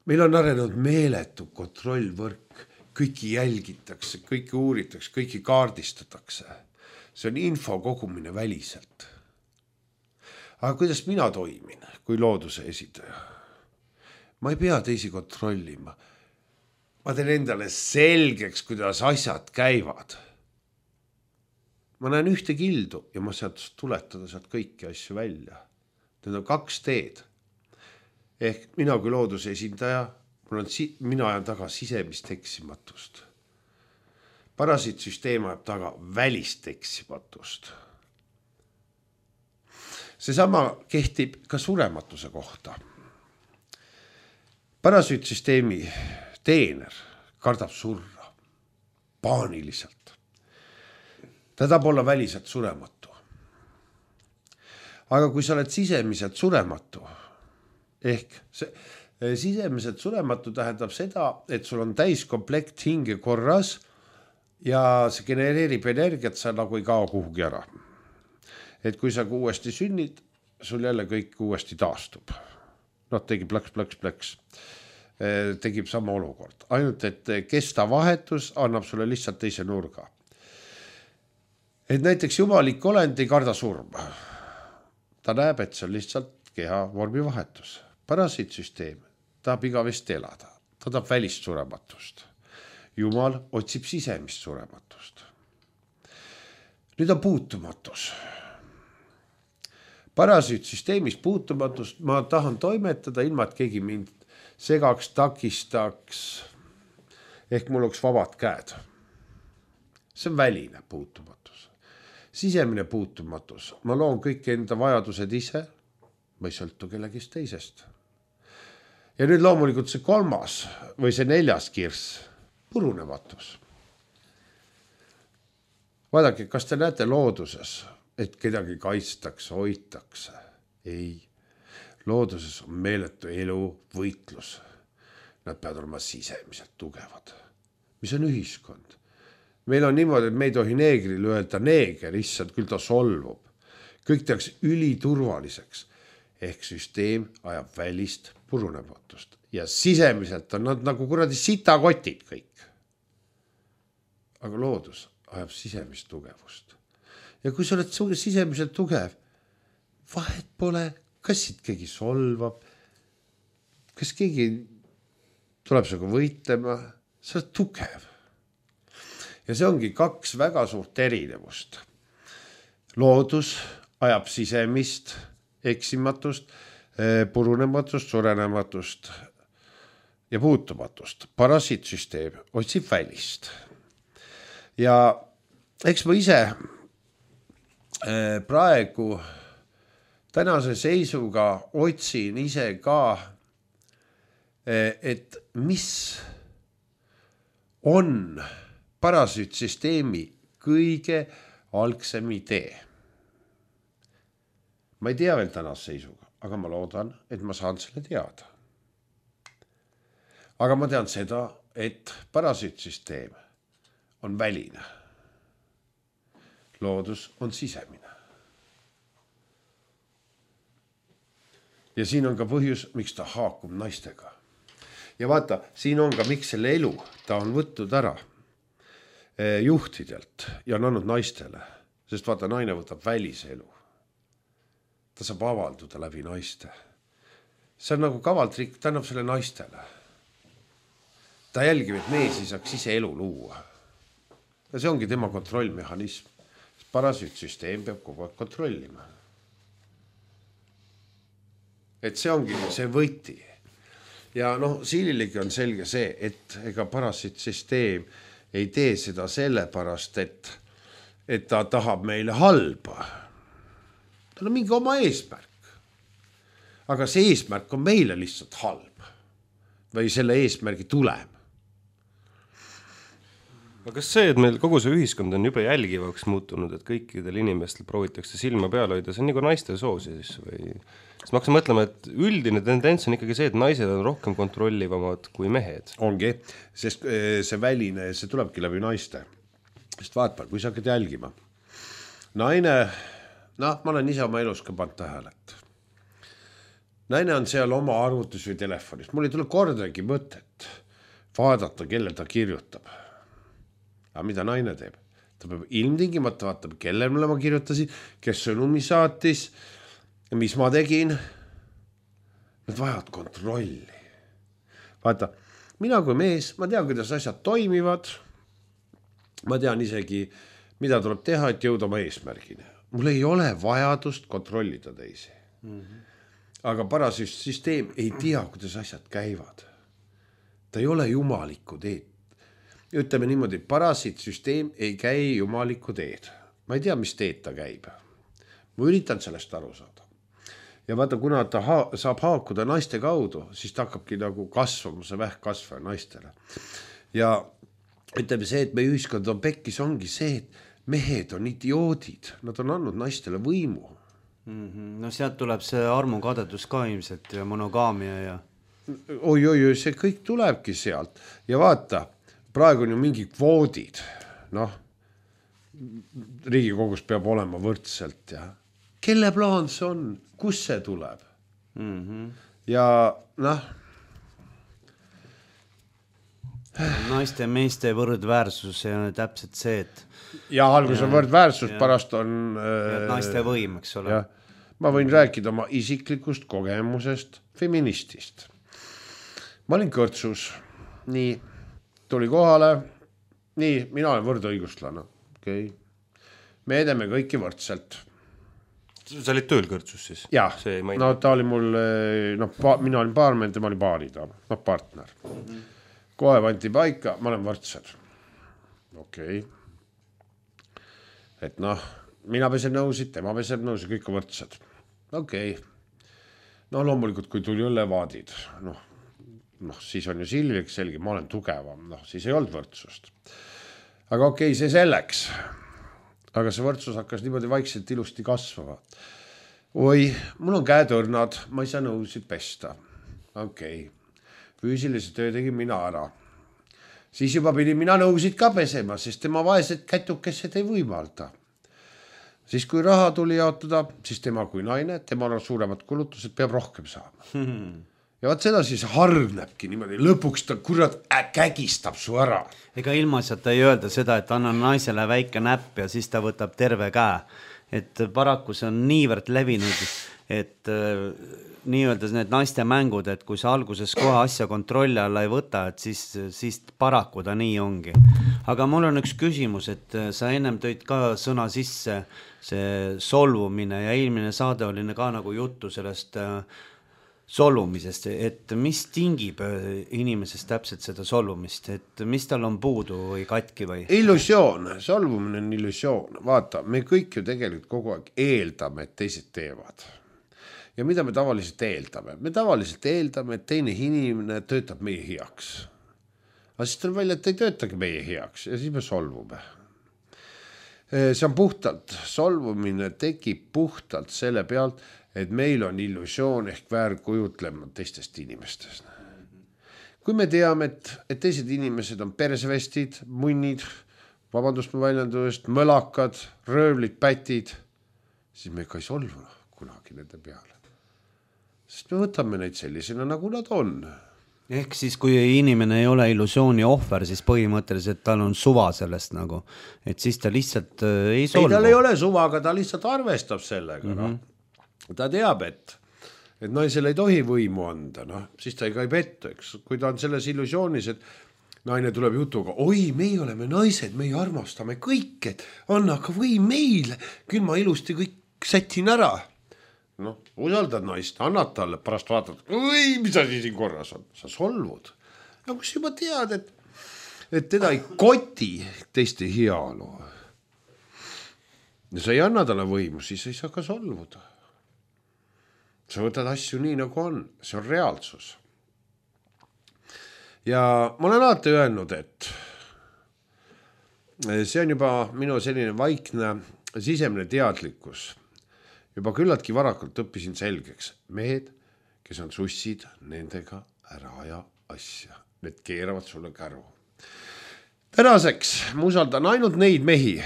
Meil on arenenud meeletu kontrollvõrk, kõiki jälgitakse, kõiki uuritakse, kõiki kaardistatakse. See on info kogumine väliselt. Aga kuidas mina toimin kui looduse esindaja? Ma ei pea teisi kontrollima. Ma teen endale selgeks, kuidas asjad käivad. Ma näen ühte kildu ja ma sealt tuletada sealt kõiki asju välja. Need on 2 teed. Ehk mina kui looduse esindaja, mina ajan taga sisemist eksimatust. Parasüütsüsteem ajab taga välist eksimatust. Seesama kehtib ka surematuse kohta. Parasüütsüsteemi teener kardab surra paaniliselt. Ta tahab olla väliselt surematu. Aga kui sa oled sisemiselt surematu, ehk sisemiselt surematu tähendab seda, et sul on täiskomplekt hinge korras ja see genereerib energiat, sa nagu ei kao kuhugi ära. Et kui sa uuesti sünnid, sul jälle kõik uuesti taastub. Tegi plaks. Tegib sama olukord. Ainult, et kesta vahetus annab sulle lihtsalt teise nurga. Et näiteks jumalik olend ei karda surma. Ta näeb, et see on lihtsalt keha vormi vahetus. Parasiitsüsteem tahab igavesti elada. Ta tahab välist surematust. Jumal otsib sisemist surematust. Nüüd on puutumatus. Parasiitsüsteemis puutumatust ma tahan toimetada ilma, et keegi mind segaks, takistaks, ehk mul oleks vabad käed. See on väline puutumatus. Sisemine puutumatus. Ma loon kõik enda vajadused ise, ma ei sõltu kellegist teisest. Ja nüüd loomulikult see 3. või see 4. kirss, purunematus. Vaadake, kas te näete looduses, et kedagi kaitstakse, hoitakse? Ei. Looduses on meeletu elu, võitlus. Nad peavad olema sisemiselt tugevad. Mis on ühiskond? Meil on niimoodi, et me ei tohi neegril öelda neeger, issand, küll ta solvub. Kõik tehakse üliturvaliseks. Ehk süsteem ajab välist purunematust. Ja sisemiselt on nad nagu kuradi sitakotid kõik. Aga loodus ajab sisemist tugevust. Ja kui sa oled sisemiselt tugev, vahet pole, kas siit keegi solvab, kas keegi tuleb sinuga võitlema, sa oled tugev. Ja see ongi 2 väga suurt erinevust. Loodus ajab sisemist eksimatust, purunematust, surenematust ja puutumatust. Parasiitsüsteem otsib välist. Ja eks ma ise praegu tänase seisuga otsin ise ka, et mis on parasiitsüsteemi kõige algsem idee. Ma ei tea veel tänase seisuga, aga ma loodan, et ma saan selle teada. Aga ma tean seda, et parasiitsüsteem on väline. Loodus on sisemine. Ja siin on ka põhjus, miks ta haakub naistega. Ja vaata, siin on ka miks selle elu ta on võtnud ära juhtidelt ja on andnud naistele. Sest vaata, naine võtab väliselu. Ta saab avalduda läbi naiste. See on nagu kavaltrik, ta annab selle naistele. Ta jälgib, et mees ei saaks ise elu luua. Ja see ongi tema kontrollmehhanism. Parasiitsüsteem peab kogu aeg kontrollima. Et see ongi see võti. Ja siililegi on selge see, et ega parasiitsüsteem ei tee seda sellepärast, et ta tahab meile halba. Tal on mingi oma eesmärk. Aga see eesmärk on meile lihtsalt halb. Või selle eesmärgi tulem. Aga kas see, et meil kogu see ühiskond on juba jälgivaks muutunud, et kõikidel inimestel proovitakse silma peal hoida, see on nagu naiste soosi siis või? Sest ma hakkasin mõtlema, et üldine tendents on ikkagi see, et naised on rohkem kontrollivamad kui mehed. Ongi, sest see väline, see tulebki läbi naiste. Sest vaata, kui sa hakkad jälgima. Naine, ma olen ise oma elus ka pannud tähelet. Naine on seal oma arvutus või telefonis. Mul ei tule kordagi mõtet vaadata, kelle ta kirjutab. Aga mida naine teeb? Ta peab ilmtingimata vaatama, kellele ma kirjutasin, kes sõnumi saatis, mis ma tegin. Nad vajavad kontrolli. Vaata, mina kui mees, ma tean, kuidas asjad toimivad. Ma tean isegi, mida tuleb teha, et jõuda oma eesmärgini. Mul ei ole vajadust kontrollida teisi. Aga parasiitsüsteem ei tea, kuidas asjad käivad. Ta ei ole jumalikku teed. Ütleme niimoodi, parasiitsüsteem ei käi jumalikku teed. Ma ei tea, mis teed ta käib. Ma üritan sellest aru saada. ja vaata, kuna ta saab haakuda naiste kaudu, siis ta hakkabki nagu kasvama, see vähkkasvaja naistele. Ja ütleme see, et meie ühiskond on pekkis, ongi see, et mehed on idioodid, nad on andnud naistele võimu. No sealt tuleb see armukadedus ka ilmselt ja monogaamia ja... Oi, see kõik tulebki sealt. Ja vaata, praegu on ju mingi kvoodid. Noh, Riigikogus peab olema võrdselt ja kelle plaan see on? Kus see tuleb? Ja noh, naiste ja meeste võrdväärsus ja täpselt see, et ja algus on võrdväärsus, pärast on naiste võim, eks ole. Ja, ma võin rääkida oma isiklikust kogemusest feministist. Ma olin kõrtsus, nii, tuli kohale, nii, mina olen võrdõiguslane, okei. Me edeme kõiki võrdselt. Sa olid tööl kõrtsus siis? Jah, no ta oli mul, mina olin paarmen, tema oli baarida, partner. Kohe vanti paika, ma olen võrdsed. Okei. Et noh, mina peseb nõusid, tema peseb nõusid, kõik on võrdsed. Okei. No loomulikult, kui tuli õllevaadid, siis on ju selge, ma olen tugevam, siis ei olnud võrdsust. Aga okei, see selleks. Aga see võrdsus hakkas niimoodi vaikselt ilusti kasvama. Oi, mul on käetõrnad, ma ei saa nõusid pesta. Okei. Füüsilise töö tegin mina ära. Siis juba pidin mina nõusid ka pesema, sest tema vaesed kätukesed ei võimalda. Siis kui raha tuli jaotada, siis tema kui naine, tema on suuremad kulutused, peab rohkem saama. Ja vaat seda siis hargnebki niimoodi, lõpuks ta kurat kägistab su ära. Ega ilma sealt ei öelda seda, et anna naisele väike näpp ja siis ta võtab terve käe. Et paraku see on niivõrd levinud, et nii-öelda need naiste mängud, et kui sa alguses kohe asja kontrolli alla ei võta, et siis paraku ta nii ongi. Aga mul on üks küsimus, et sa ennem tõid ka sõna sisse see solvumine ja eelmine saade oli ka nagu juttu sellest solvumisest, et mis tingib inimesest täpselt seda solvumist, et mis tal on puudu või katki või? Illusioon, solvumine on illusioon. Vaata, me kõik ju tegelikult kogu aeg eeldame, et teised teevad. Ja mida me tavaliselt eeldame? Me tavaliselt eeldame, et teine inimene töötab meie heaks. Aga siis tuleb välja, et ei töötagi meie heaks ja siis me solvume. See on puhtalt, solvumine tekib puhtalt selle pealt, et meil on illusioon ehk väärkujutlema teistest inimestest. Kui me teame, et teised inimesed on persevestid, munnid, vabandust mu väljendusest, mõlakad, röövlid, pätid, siis me ka ei solvu kunagi nende peale. Sest me võtame neid sellisena, nagu nad on. Ehk siis, kui inimene ei ole illusiooni ohver, siis põhimõtteliselt tal on suva sellest nagu, et siis ta lihtsalt ei solvu. Ei, tal ei ole suva, aga ta lihtsalt arvestab sellega. Ta teab, et naisele ei tohi võimu anda, siis ta ei pettu, eks. Kui ta on selles illusioonis, et naine tuleb jutuga, oi, meie oleme naised, meie armastame kõik, et anna ka võim meile, küll ma ilusti kõik sätin ära. Usaldad naist, annad talle, pärast vaatad, oi, mis asi siin korras on, sa solvud. Aga kus juba tead, et teda ei koti teiste heaolu. Ja sa ei anna talle võimu, siis ei saa ka solvuda. Sa võtad asju nii, nagu on, see on reaalsus. Ja ma olen alati öelnud, et see on juba minu selline vaikne sisemine teadlikkus. Juba küllaltki varakult õppisin selgeks. Mehed, kes on sussid, nendega ära aja asja. Need keeravad sulle käru. Tänaseks ma usaldan ainult neid mehi,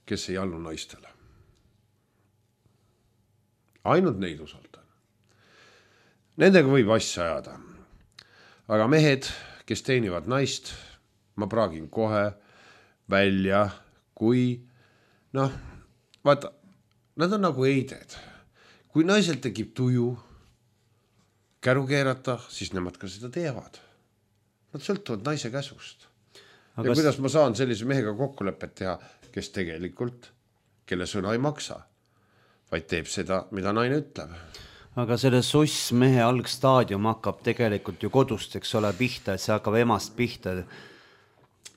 kes ei allu naistele. Ainult neid usaldan. Nendega võib asja ajada. Aga mehed, kes teenivad naist, ma praagin kohe välja, kui vaata, nad on nagu eided. Kui naisel tekib tuju käru keerata, siis nemad ka seda teevad. Nad sõltuvad naise käsust. Ja kuidas ma saan sellise mehega kokkulepet teha, kes tegelikult, kelle sõna ei maksa, vaid teeb seda, mida naine ütleb. Aga selle suss mehe algstaadium hakkab tegelikult ju kodust, eks ole, pihta, et see hakkab emast pihta.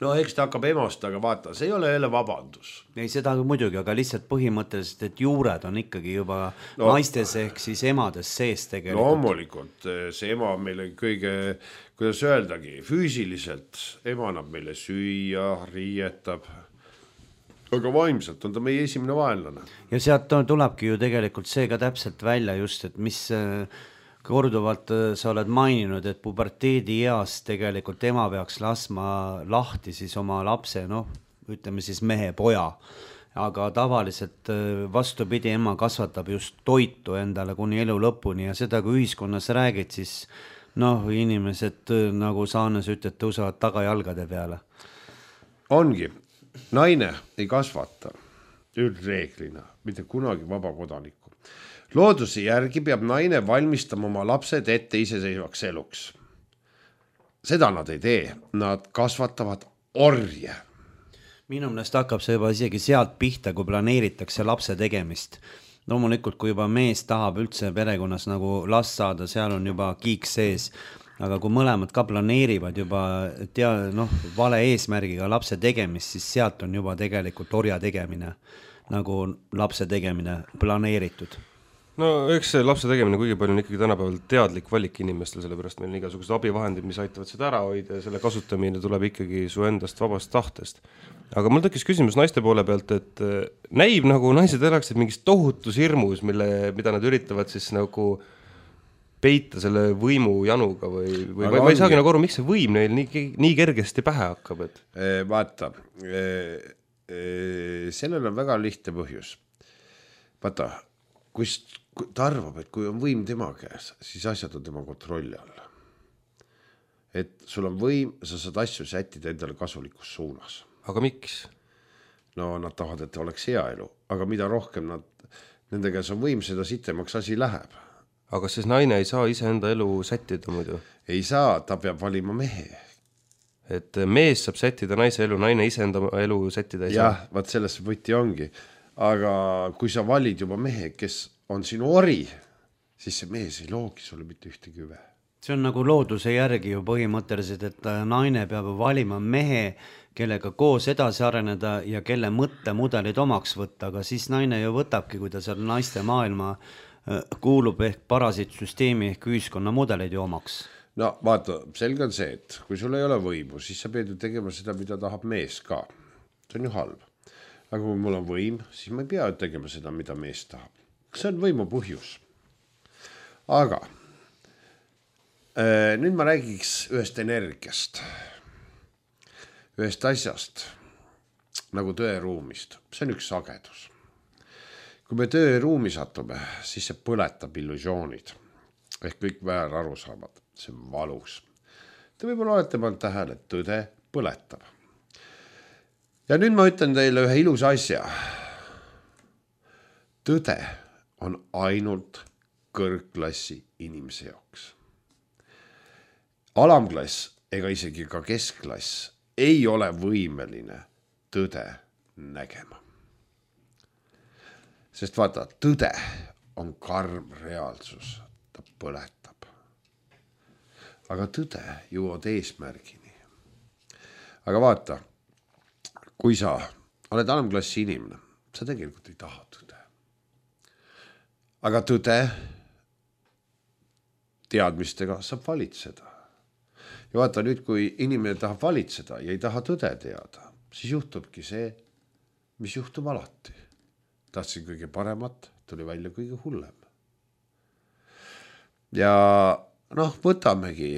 no eks ta hakkab emast, aga vaata, see ei ole jälle vabandus. ei, seda muidugi, aga lihtsalt põhimõtteliselt, et juured on ikkagi juba naistes ehk siis emades sees tegelikult. Loomulikult, see ema on meile kõige, kuidas öeldagi, füüsiliselt ema annab meile süüa, riietab, aga vaimselt on ta meie esimene vaenlane. ja sealt tulebki ju tegelikult see ka täpselt välja just, et mis korduvalt sa oled maininud, et puberteedi eas tegelikult ema peaks laskma lahti siis oma lapse, noh, ütleme siis mehe, poja, aga tavaliselt vastupidi, ema kasvatab just toitu endale kuni elu lõpuni ja seda, kui ühiskonnas räägid, siis noh, inimesed, nagu Saanes ütleb, tõusevad tagajalgade peale. Ongi, naine ei kasvata üldreeglina, mitte kunagi vaba kodanikku. Looduse järgi peab naine valmistama oma lapsed ette iseseisvaks eluks. Seda nad ei tee, nad kasvatavad orje. Minu meelest hakkab see juba isegi sealt pihta, kui planeeritakse lapse tegemist. Loomulikult, kui juba mees tahab üldse perekonnas nagu last saada, seal on juba kiik sees. Aga kui mõlemad ka planeerivad juba vale eesmärgiga lapse tegemist, siis sealt on juba tegelikult orja tegemine, nagu lapse tegemine planeeritud. No eks see lapse tegemine kuigi palju on ikkagi tänapäeval teadlik valik inimestel, sellepärast meil on igasugused abivahendid, mis aitavad seda ära hoida ja selle kasutamine tuleb ikkagi su endast vabast tahtest. Aga mul tekkis küsimus naiste poole pealt, et näib nagu naised elaksid mingis tohutus hirmus, mida nad üritavad siis nagu peita selle võimu januga või ma ei saagi nagu aru, miks see võim neil nii kergesti pähe hakkab, et vaata, sellel on väga lihtne põhjus. Vaata, kui ta arvab, et kui on võim tema käes, siis asjad on tema kontrolli all. Et sul on võim, sa saad asju sättida endale kasulikus suunas. Aga miks? No nad tahavad, et oleks hea elu, aga mida rohkem nende käes on võim, seda sitemaks asi läheb. Aga siis naine ei saa ise enda elu sättida muidu? Ei saa, ta peab valima mehe. Et mees saab sättida naise elu, naine ise enda elu sättida ei saa? Jah, vaat selles võti ongi. Aga kui sa valid juba mehe, kes on sinu ori, siis see mees ei loogi sulle mitte ühte küve. See on nagu looduse järgi ju põhimõtteliselt, et naine peab valima mehe, kellega koos edasi areneda ja kelle mõttemudelid omaks võtta, aga siis naine ju võtabki, kui ta seal naiste maailma kuulub ehk parasiitsüsteemi ehk ühiskonna mudeleid ju omaks. No vaata, selge on see, et kui sul ei ole võimu, siis sa pead ju tegema seda, mida tahab mees ka. See on ju halb. Aga kui mul on võim, siis ma ei pea tegema seda, mida mees tahab. See on võimu põhjus. Aga nüüd ma räägiks ühest energiast, ühest asjast, nagu tõeruumist. See on üks sagedus. Kui me tõeruumi satume, siis see põletab illusioonid. Ehk kõik väär aru saavad. See on valus. Te võib-olla olete pannud tähele, et tõde põletab. Ja nüüd ma ütlen teile ühe ilus asja. Tõde on ainult kõrgklassi inimese jaoks. Alamklass ega isegi ka keskklass ei ole võimeline tõde nägema. Sest vaata, tõde on karm reaalsus, ta põletab. Aga tõde jõuad eesmärgini. Aga vaata, kui sa oled alamklassi inimene, sa tegelikult ei taha tõde. Aga tõde teadmistega saab valitseda. Ja vaata nüüd, kui inimene tahab valitseda ja ei taha tõde teada, siis juhtubki see, mis juhtub alati. Tahtsin kõige paremat, tuli välja kõige hullem. Ja võtamegi,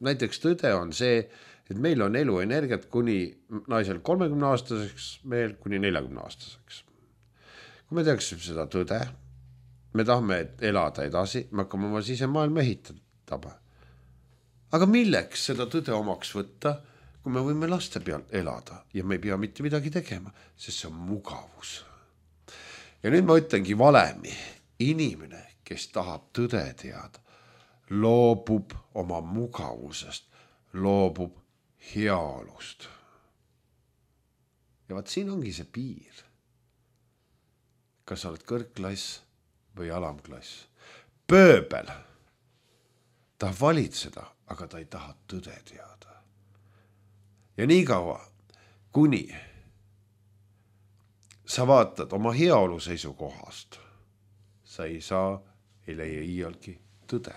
näiteks tõde on see, et meil on eluenergiat kuni naisel 30-aastaseks, mehel kuni 40-aastaseks. Kui me teaksime seda tõde, me tahame elada edasi, me hakkame oma sisemaailma ehitama. Aga milleks seda tõde omaks võtta, kui me võime laste peal elada ja me ei pea mitte midagi tegema, sest see on mugavus. Ja nüüd ma ütlengi valemi, inimene, kes tahab tõde teada, loobub oma mugavusest, loobub heaolust. Ja vaat siin ongi see piir. Kas sa oled kõrgklass või alamklass? Pööbel tahab valitseda, aga ta ei taha tõde teada. ja nii kaua, kuni sa vaatad oma heaolu seisukohast, sa ei leia iialgi tõde.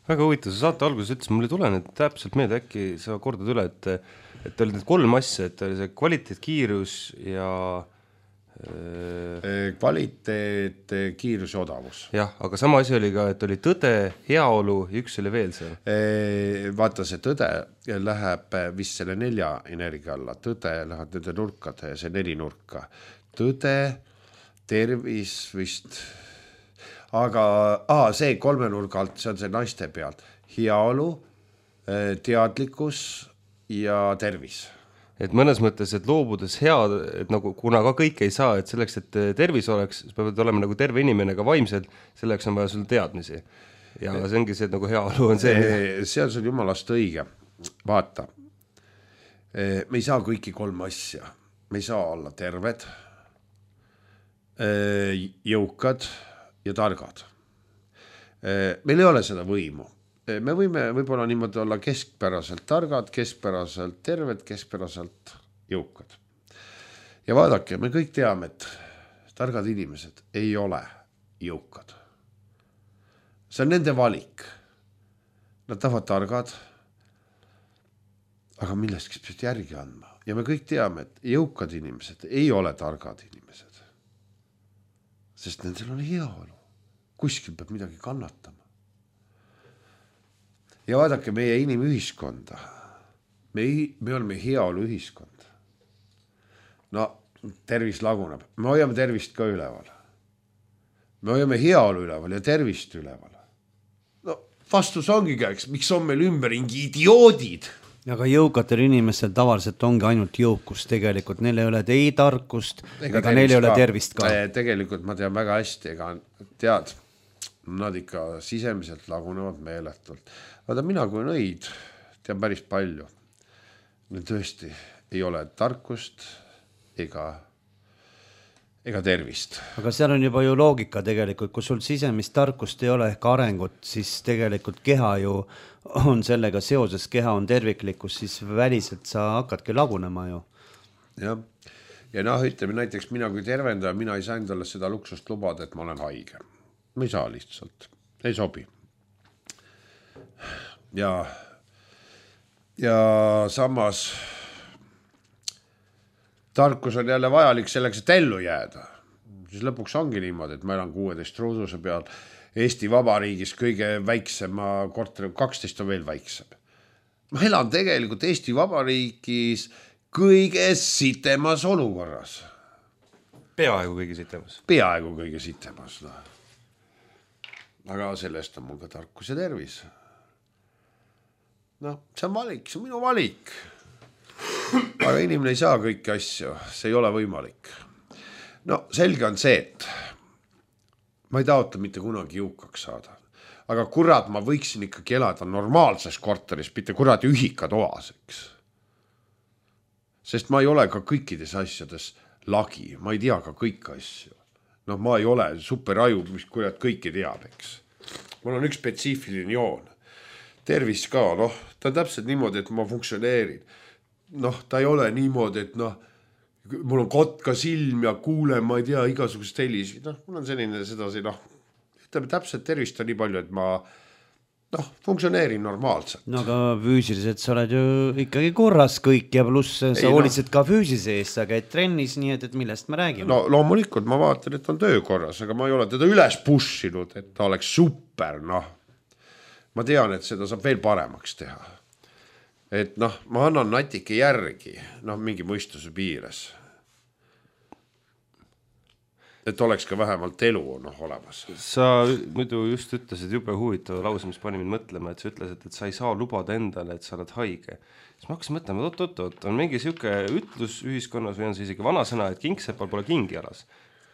Väga huvitav, sa saate alguses ütles, mul ei tule nüüd täpselt meelde, äkki sa kordad üle, et oli need 3 asja, et oli see kvaliteet, kiirus ja kvaliteet, kiirus ja odavus. jah, aga sama asi oli ka, et oli tõde, heaolu ja üks oli veel seal. Vaata, see tõde läheb vist selle 4 energia alla, tõde läheb nende nurkade, see 4 nurka. Tõde, tervis vist, aga see 3 nurga alt, see on see naiste pealt. Heaolu, teadlikkus ja tervis. Et mõnes mõttes, et loobudes head, et nagu kuna ka kõik ei saa, et selleks, et tervis oleks, peavad olema nagu terve inimene ka vaimselt, selleks on vaja sul teadmisi. Ja see ongi see, et nagu heaolu on see. See on sul jumalast õige. Vaata, me ei saa kõiki 3 asja. Me ei saa olla terved, jõukad ja targad. Meil ei ole seda võimu. Me võime võib-olla niimoodi olla keskpäraselt targad, keskpäraselt terved, keskpäraselt jõukad. Ja vaadake, me kõik teame, et targad inimesed ei ole jõukad. See on nende valik. Nad tahavad targad, aga millestki peab järgi andma. Ja me kõik teame, et jõukad inimesed ei ole targad inimesed. Sest nendel on heaolu. Kuskil peab midagi kannatama. Ja vaadake meie inimühiskonda. Me oleme heaolu ühiskond. No, tervis laguneb. Me hoiame tervist ka üleval. Me hoiame heaolu üleval ja tervist üleval. No, vastus ongi käiks, miks on meil ümberringi idioodid? Aga jõukatel inimestel tavaliselt ongi ainult jõukus tegelikult. Neil ei ole ei tarkust, ega neil ei ole tervist ka. Tegelikult ma tean väga hästi, ega tead, nad ikka sisemiselt lagunevad meeletult. Vaata, mina kui nõid tean päris palju. Neil tõesti ei ole tarkust ega tervist. Aga seal on juba ju loogika tegelikult, kui sul sisemist tarkust ei ole ehk arengut, siis tegelikult keha ju on sellega seoses, keha on terviklikkus, siis väliselt sa hakkadki lagunema ju. Jah. Ja ütleme näiteks mina kui tervendaja, mina ei saa endale seda luksust lubada, et ma olen haige. Ma ei saa lihtsalt. Ei sobi. Ja samas tarkus on jälle vajalik selleks, et ellu jääda. Siis lõpuks ongi niimoodi, et ma elan 16 ruuduse peal. Eesti Vabariigis kõige väiksema korteri, 12 on veel väiksem. Ma elan tegelikult Eesti Vabariigis kõige sitemas olukorras. Peaaegu kõige sitemas. Peaaegu kõige sitemas. No. Aga sellest on mul ka tarkus ja tervis. No, see on valik, see on minu valik. Aga inimene ei saa kõiki asju, see ei ole võimalik. No, selge on see, et ma ei taotle mitte kunagi jõukaks saada. Aga kurat, ma võiksin ikkagi elada normaalses korteris, mitte kurat ühikatoas, eks. Sest ma ei ole ka kõikides asjades lagi, ma ei tea ka kõiki asju. No ma ei ole superaju, mis kurat kõiki teab, eks. Mul on üks spetsiifiline joon. Tervis ka, ta on täpselt niimoodi, et ma funktsioneerin. Ta ei ole niimoodi, et mul on kotka silm ja kuulen, ma ei tea, igasugust helisi. Mul on selline sedasi, ütleme täpselt tervist on nii palju, et ma funktsioneerin normaalselt. No aga füüsiliselt sa oled ju ikkagi korras kõik ja pluss sa hoolitsed ka füüsise eest, sa käid trennis, nii et millest me räägime? No loomulikult ma vaatan, et on töökorras, aga ma ei ole teda üles pushinud, et ta oleks super, Ma tean, et seda saab veel paremaks teha. Et ma annan natike järgi, mingi mõistuse piires. Et oleks ka vähemalt elu olemas. Sa muidu just ütlesid jube huvitava lause, mis pani mind mõtlema, et sa ütlesid, et sa ei saa lubada endale, et sa oled haige. Siis ma hakkasin mõtlema, oot, on mingi siuke ütlus ühiskonnas või on see isegi vanasõna, et kingsepal pole kingi jalas.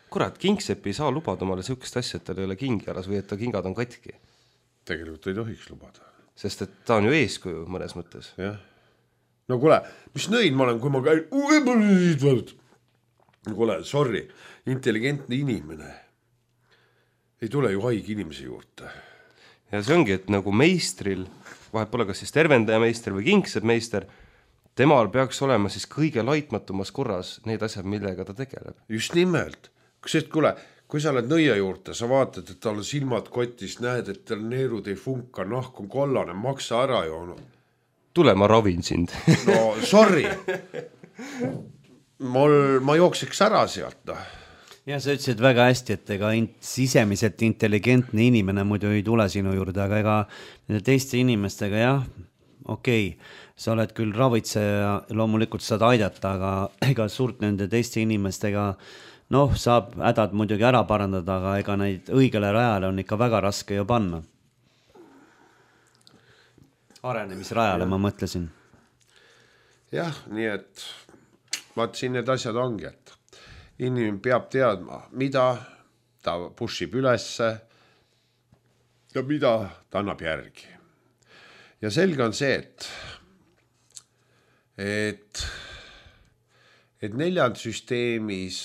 Kurat, kingsepp ei saa lubada omale siukest asja, et tal ei ole kingi jalas või et ta kingad on katki. Tegelikult ei tohiks lubada. Sest et ta on ju eeskuju mõnes mõttes. Jah. No kuule, mis nõid ma olen, kui ma käin... Kuule, sorry, intelligentne inimene ei tule ju haigi inimese juurde. Ja see ongi, et nagu meistril, vahet pole kas siis tervendaja meister või kingseb meister, temal peaks olema siis kõige laitmatumas korras need asjad, millega ta tegeleb. Just nimelt. Kui sa oled nõia juurde, sa vaatad, et tal on silmad kotis, näed, et tal neerud ei funka, nahk on kollane, maksa ära joonud. Tule, ma ravin sind. No sorry. Ma jookseks ära sealt. No. Ja sa ütlesid väga hästi, et ega sisemiselt intelligentne inimene muidu ei tule sinu juurde, aga ega teiste inimestega jah, okei, sa oled küll ravitseja, loomulikult saad aidata, aga ega suurt nende teiste inimestega saab hädad muidugi ära parandada, aga ega neid õigele rajale on ikka väga raske ju panna. Arenemisrajale ma mõtlesin. Jah, nii et vaat siin need asjad ongi, et inimene peab teadma, mida ta pushib ülesse ja mida ta annab järgi. Ja selge on see, et neljand süsteemis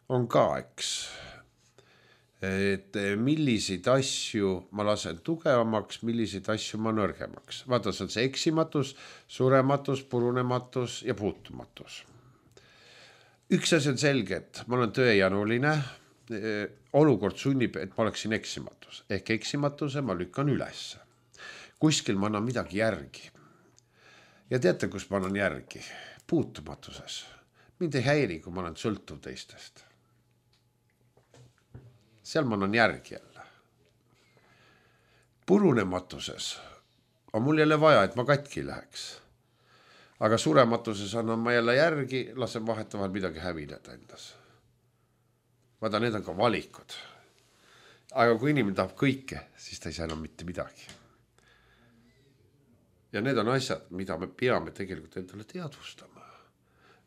on ka, eks, et milliseid asju ma lasen tugevamaks, milliseid asju ma nõrgemaks. Vaata, see on see eksimatus, surematus, purunematus ja puutumatus. Üks asi on selge, et ma olen tööjanuline, olukord sunnib, et ma oleksin eksimatus. Ehk eksimatuse ma lükkan üles. Kuskil ma annan midagi järgi. Ja teate, kus ma annan järgi? Puutumatuses. Mind ei häiri, kui ma olen sõltuv teistest. Seal ma annan järgi jälle. Purunematuses on mul jälle vaja, et ma katki läheks. Aga surematuses annan ma jälle järgi, lasen vahetavalt midagi hävileda endas. Vaata, need on ka valikud. Aga kui inimene tahab kõike, siis ta ei saa enam mitte midagi. Ja need on asjad, mida me peame tegelikult endale teadvustama.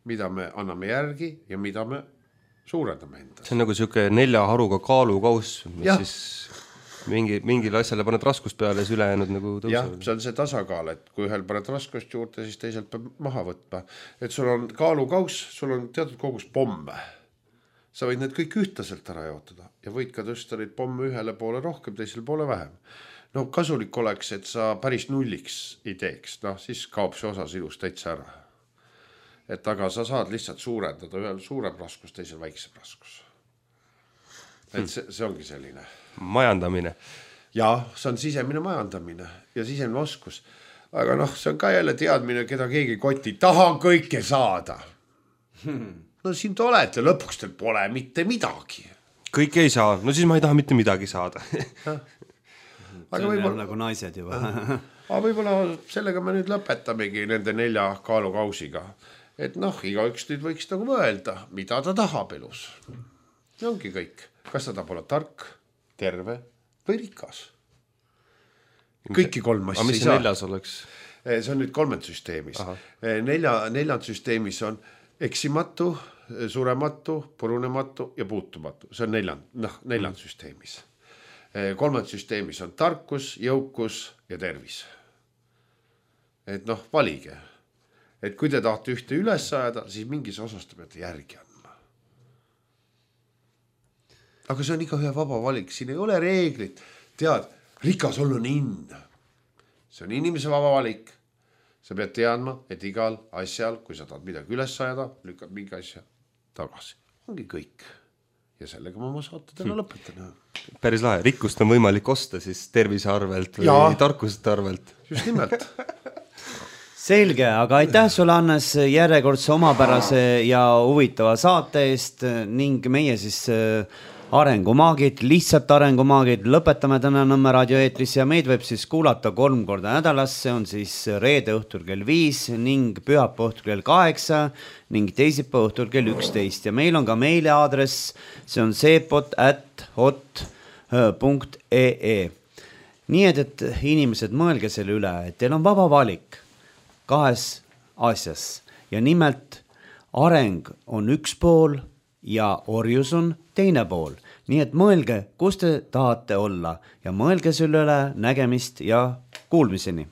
Mida me anname järgi ja mida me suurendame endas. See on nagu siuke 4 haruga kaalukaus, mis siis mingile asjale paned raskust peale ja siis ülejäänud nagu tõuseb. Jah, see on see tasakaal, et kui ühel paned raskust juurde, siis teiselt peab maha võtma. Et sul on kaalukaus, sul on teatud kogus pomme. Sa võid need kõik ühtlaselt ära jaotada ja võid ka tõsta neid pomme ühele poole rohkem, teisele poole vähem. No kasulik oleks, et sa päris nulliks ei teeks, siis kaob see osa sinust täitsa ära. Et aga sa saad lihtsalt suurendada ühel suurem raskus, teisel väiksem raskus. Et see ongi selline. Majandamine. Ja, see on sisemine majandamine ja sisemine oskus. Aga see on ka jälle teadmine, keda keegi koti. Tahan kõike saada. No siin te olete, lõpuks teil pole mitte midagi. Kõik ei saa, no siis ma ei taha mitte midagi saada. See on nagu naised juba. Aga võib-olla sellega me nüüd lõpetamegi nende 4 kaalukausiga. Et iga üks nüüd võiks nagu mõelda, mida ta tahab elus. See ongi kõik. Kas ta tahab olla tark, terve või rikas? Kõiki 3 asja ei saa. Aga mis see 4 oleks? See on nüüd 3 süsteemis. 4 süsteemis on eksimatu, surematu, purunematu ja puutumatu. See on 4 süsteemis. 3 süsteemis on tarkus, jõukus ja tervis. Et valige. Et kui te tahate ühte üles ajada, siis mingis osas te peate järgi andma. Aga see on iga ühe vaba valik, siin ei ole reeglit. Tead, rikas olla on inna. See on inimese vaba valik. Sa pead teadma, et igal asjal, kui sa tahad midagi üles ajada, lükkad mingi asja tagasi. Ongi kõik. Ja sellega ma oma saate täna lõpetan. Päris lahe, rikkust on võimalik osta siis tervise arvelt või tarkusest arvelt. Just nimelt. Selge, aga aitäh sulle, Hannes, järjekordse omapärase ja huvitava saate eest ning meie siis arengumaagid, lihtsalt arengumaagid lõpetame täna Nõmme raadioeetris ja meid võib siis kuulata 3 korda nädalas, see on siis reede õhtul kell 5 ning pühapäeva õhtul kell 8 ning teisipäeva õhtul kell 11 ja meil on ka meiliaadress, see on seepot@hot.ee. Nii et inimesed mõelge selle üle, et teil on vaba valik 2 asjas ja nimelt areng on üks pool ja orjus on teine pool. Nii et mõelge, kus te tahate olla ja mõelge selle üle, nägemist ja kuulmiseni.